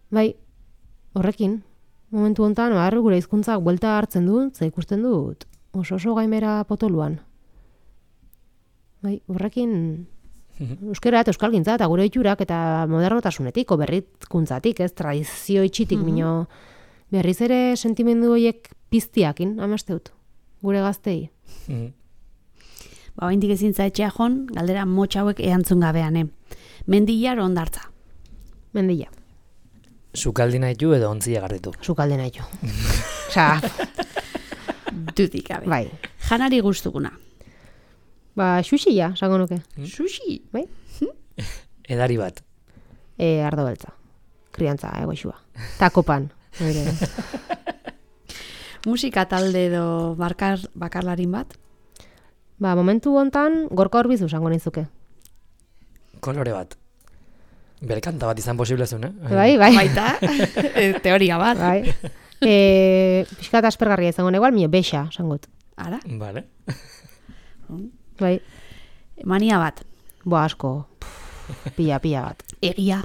Bai, horrekin, momentu honetan, ba, gure hizkuntzak buelta hartzen dut, ze ikusten dut, oso oso gaimera potoluan. Bai, horrekin euskera eta euskalgintza eta gure oiturak eta modernotasunetik, o berritkuntzatik, ez, tradizio itxitik, mm-hmm. Mino, berriz ere sentimendu horiek piztiakin, amaste dut, gure gaztei. Mm-hmm. Ba, oindik ezintza etxea jon, galdera motx hauek eantzun gabean, eh? Mendilar ondartza? Mendila. Sukaldi nahitu edo ontzia garritu? Sukaldi nahitu. Osa... Dudik gabe. Bai. Janari guztukuna? Ba, xuxia, sango nuke. Hmm? Xuxi? Bai? Edari bat? E, ardo beltza. Kriantza, egoixua. Takopan. Musika talde edo bakar, bakarlarin bat? Ba, momentu hontan gorka horbizu sango nizuke. Kolore bat. Bere kanta bat izan posible zuen, eh? Bai, bai. Baita, teoria bat. Bai. E, Piskat aspergarria izango negual, mio bexa, sangot. Ara? Vale. Bai, Mania bat. bo asko, Pff, pila, pila bat. Egia.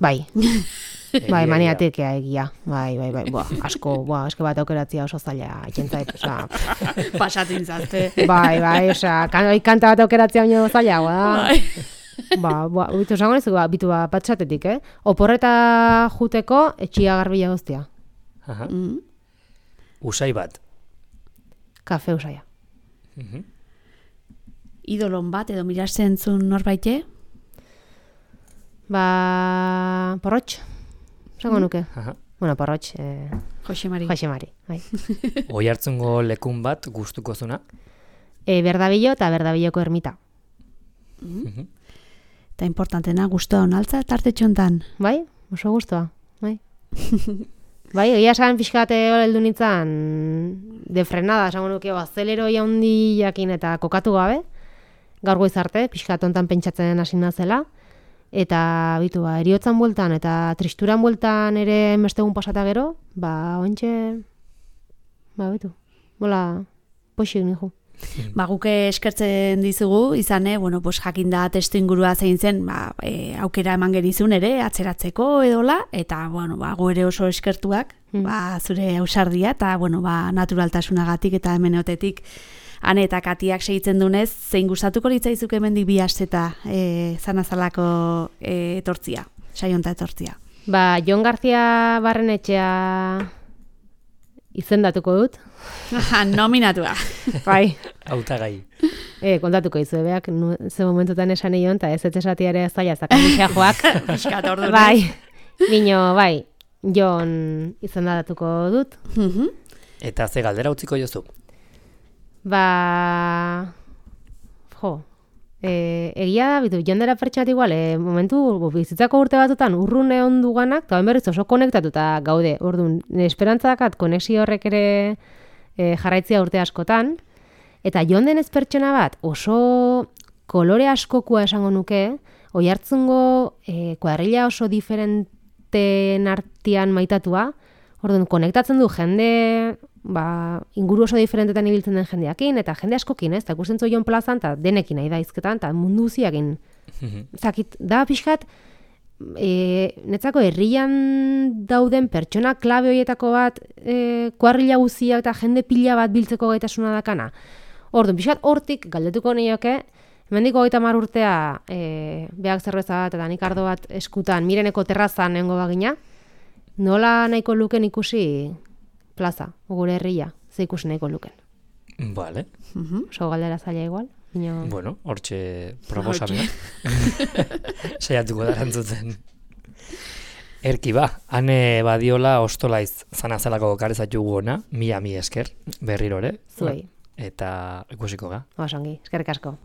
Bai, Egia, bai, egia. maniatekea egia. Bai, bai, bai, boa, asko, boa, eske bat aukeratzea oso zaila, ikentzait, osea, Pasatzen zazte. bai, bai, osea, kan, oi, kanta bat aukeratzea baino zailagoa da. Bai. Ba, ba, bitu esango nezu, ba, bitu ba, patxatetik, eh? Oporreta juteko etxia garbila guztia. Aha. Mm. Usai bat. Kafe usaia. Mhm. Idolon bat edo miratzen zuen norbaite? Ba, porrotx, esango nuke. Aha. Bueno, porrotx, eh, Jose Mari. Jose Mari, bai. Oi hartzungo lekun bat gustuko zuna. E, berdabillo eta berdabilloko ermita. Mhm. Eta importantena, guztua onaltza tartetxontan. Bai, oso guztua, bai. Bai, egia esan pixkate hor heldu nintzen de frenada, esango nuke, azelero jaundi jakin eta kokatu gabe, gaur goiz arte, pixkat ontan pentsatzen hasi nazela, eta bitu, ba, eriotzan bueltan eta tristuran bueltan ere bestegun pasata gero, ba, ointxe, ba, bitu, bola, poxik nijo. Ba, guke eskertzen dizugu, izan, eh, bueno, pues, jakinda testu ingurua zein zen, ba, e, aukera eman genizun ere, atzeratzeko edola, eta, bueno, ba, gu ere oso eskertuak, Mm. ba, zure ausardia, eta, bueno, ba, naturaltasunagatik eta hemeneotetik Ane eta Katiak segitzen dunez, zein gustatuko litzaizuk hemendik bi asteta e, zanazalako e, etortzia, saionta etortzia. Ba, Jon García Barrenetxea izendatuko dut, Nominatua. bai. Hautagai. E, kontatuko izu, beak, nu, ze momentutan esan eion, eta ez ez esatia ere zaila zakandixea joak. Piskat ordu. Bai, bino, bai, Jon izendatuko dut. Mhm. Eta ze galdera utziko jozu? Ba, jo, e, egia da, bitu, Jon dela pertsonat igual, e, momentu bizitzako urte batutan urrune ondu ganak, eta berriz oso konektatuta gaude, orduan, esperantza dakat konexio horrek ere e, jarraitzia urte askotan, eta Jon denez pertsona bat oso kolore askokua esango nuke, oi hartzungo e, kuadrilla oso diferenten artean maitatua, orduan, konektatzen du jende, ba, inguru oso diferentetan ibiltzen den jendeakin, eta jende askokin, ez, eta ikusten zu Jon plazan, eta denekin nahi da izketan, eta mundu guziakin. Zakit, da pixkat, e, netzako herrian dauden pertsona klabe horietako bat, e, kuadrilla guziak eta jende pila bat biltzeko gaitasuna dakana. Orduan, pixkat hortik galdetuko nioke, hemendik hogeita hamar urtea e, beak zerbeza bat eta nik ardo bat eskutan, mireneko terrazan nengo bagina, nola nahiko luken ikusi plaza, gure herria, ze ikusi nahiko luken. Vale. Mhm. Oso galdera zaila igual. Ino... Bueno, hortxe proposamena. Saiatuko da erantzuten. Erki ba, ane badiola ostolaiz zanazalako karezatugu ona, mila mi esker, berrirore. Zuei. Eta ikusiko ga. Osongi, eskerrik asko.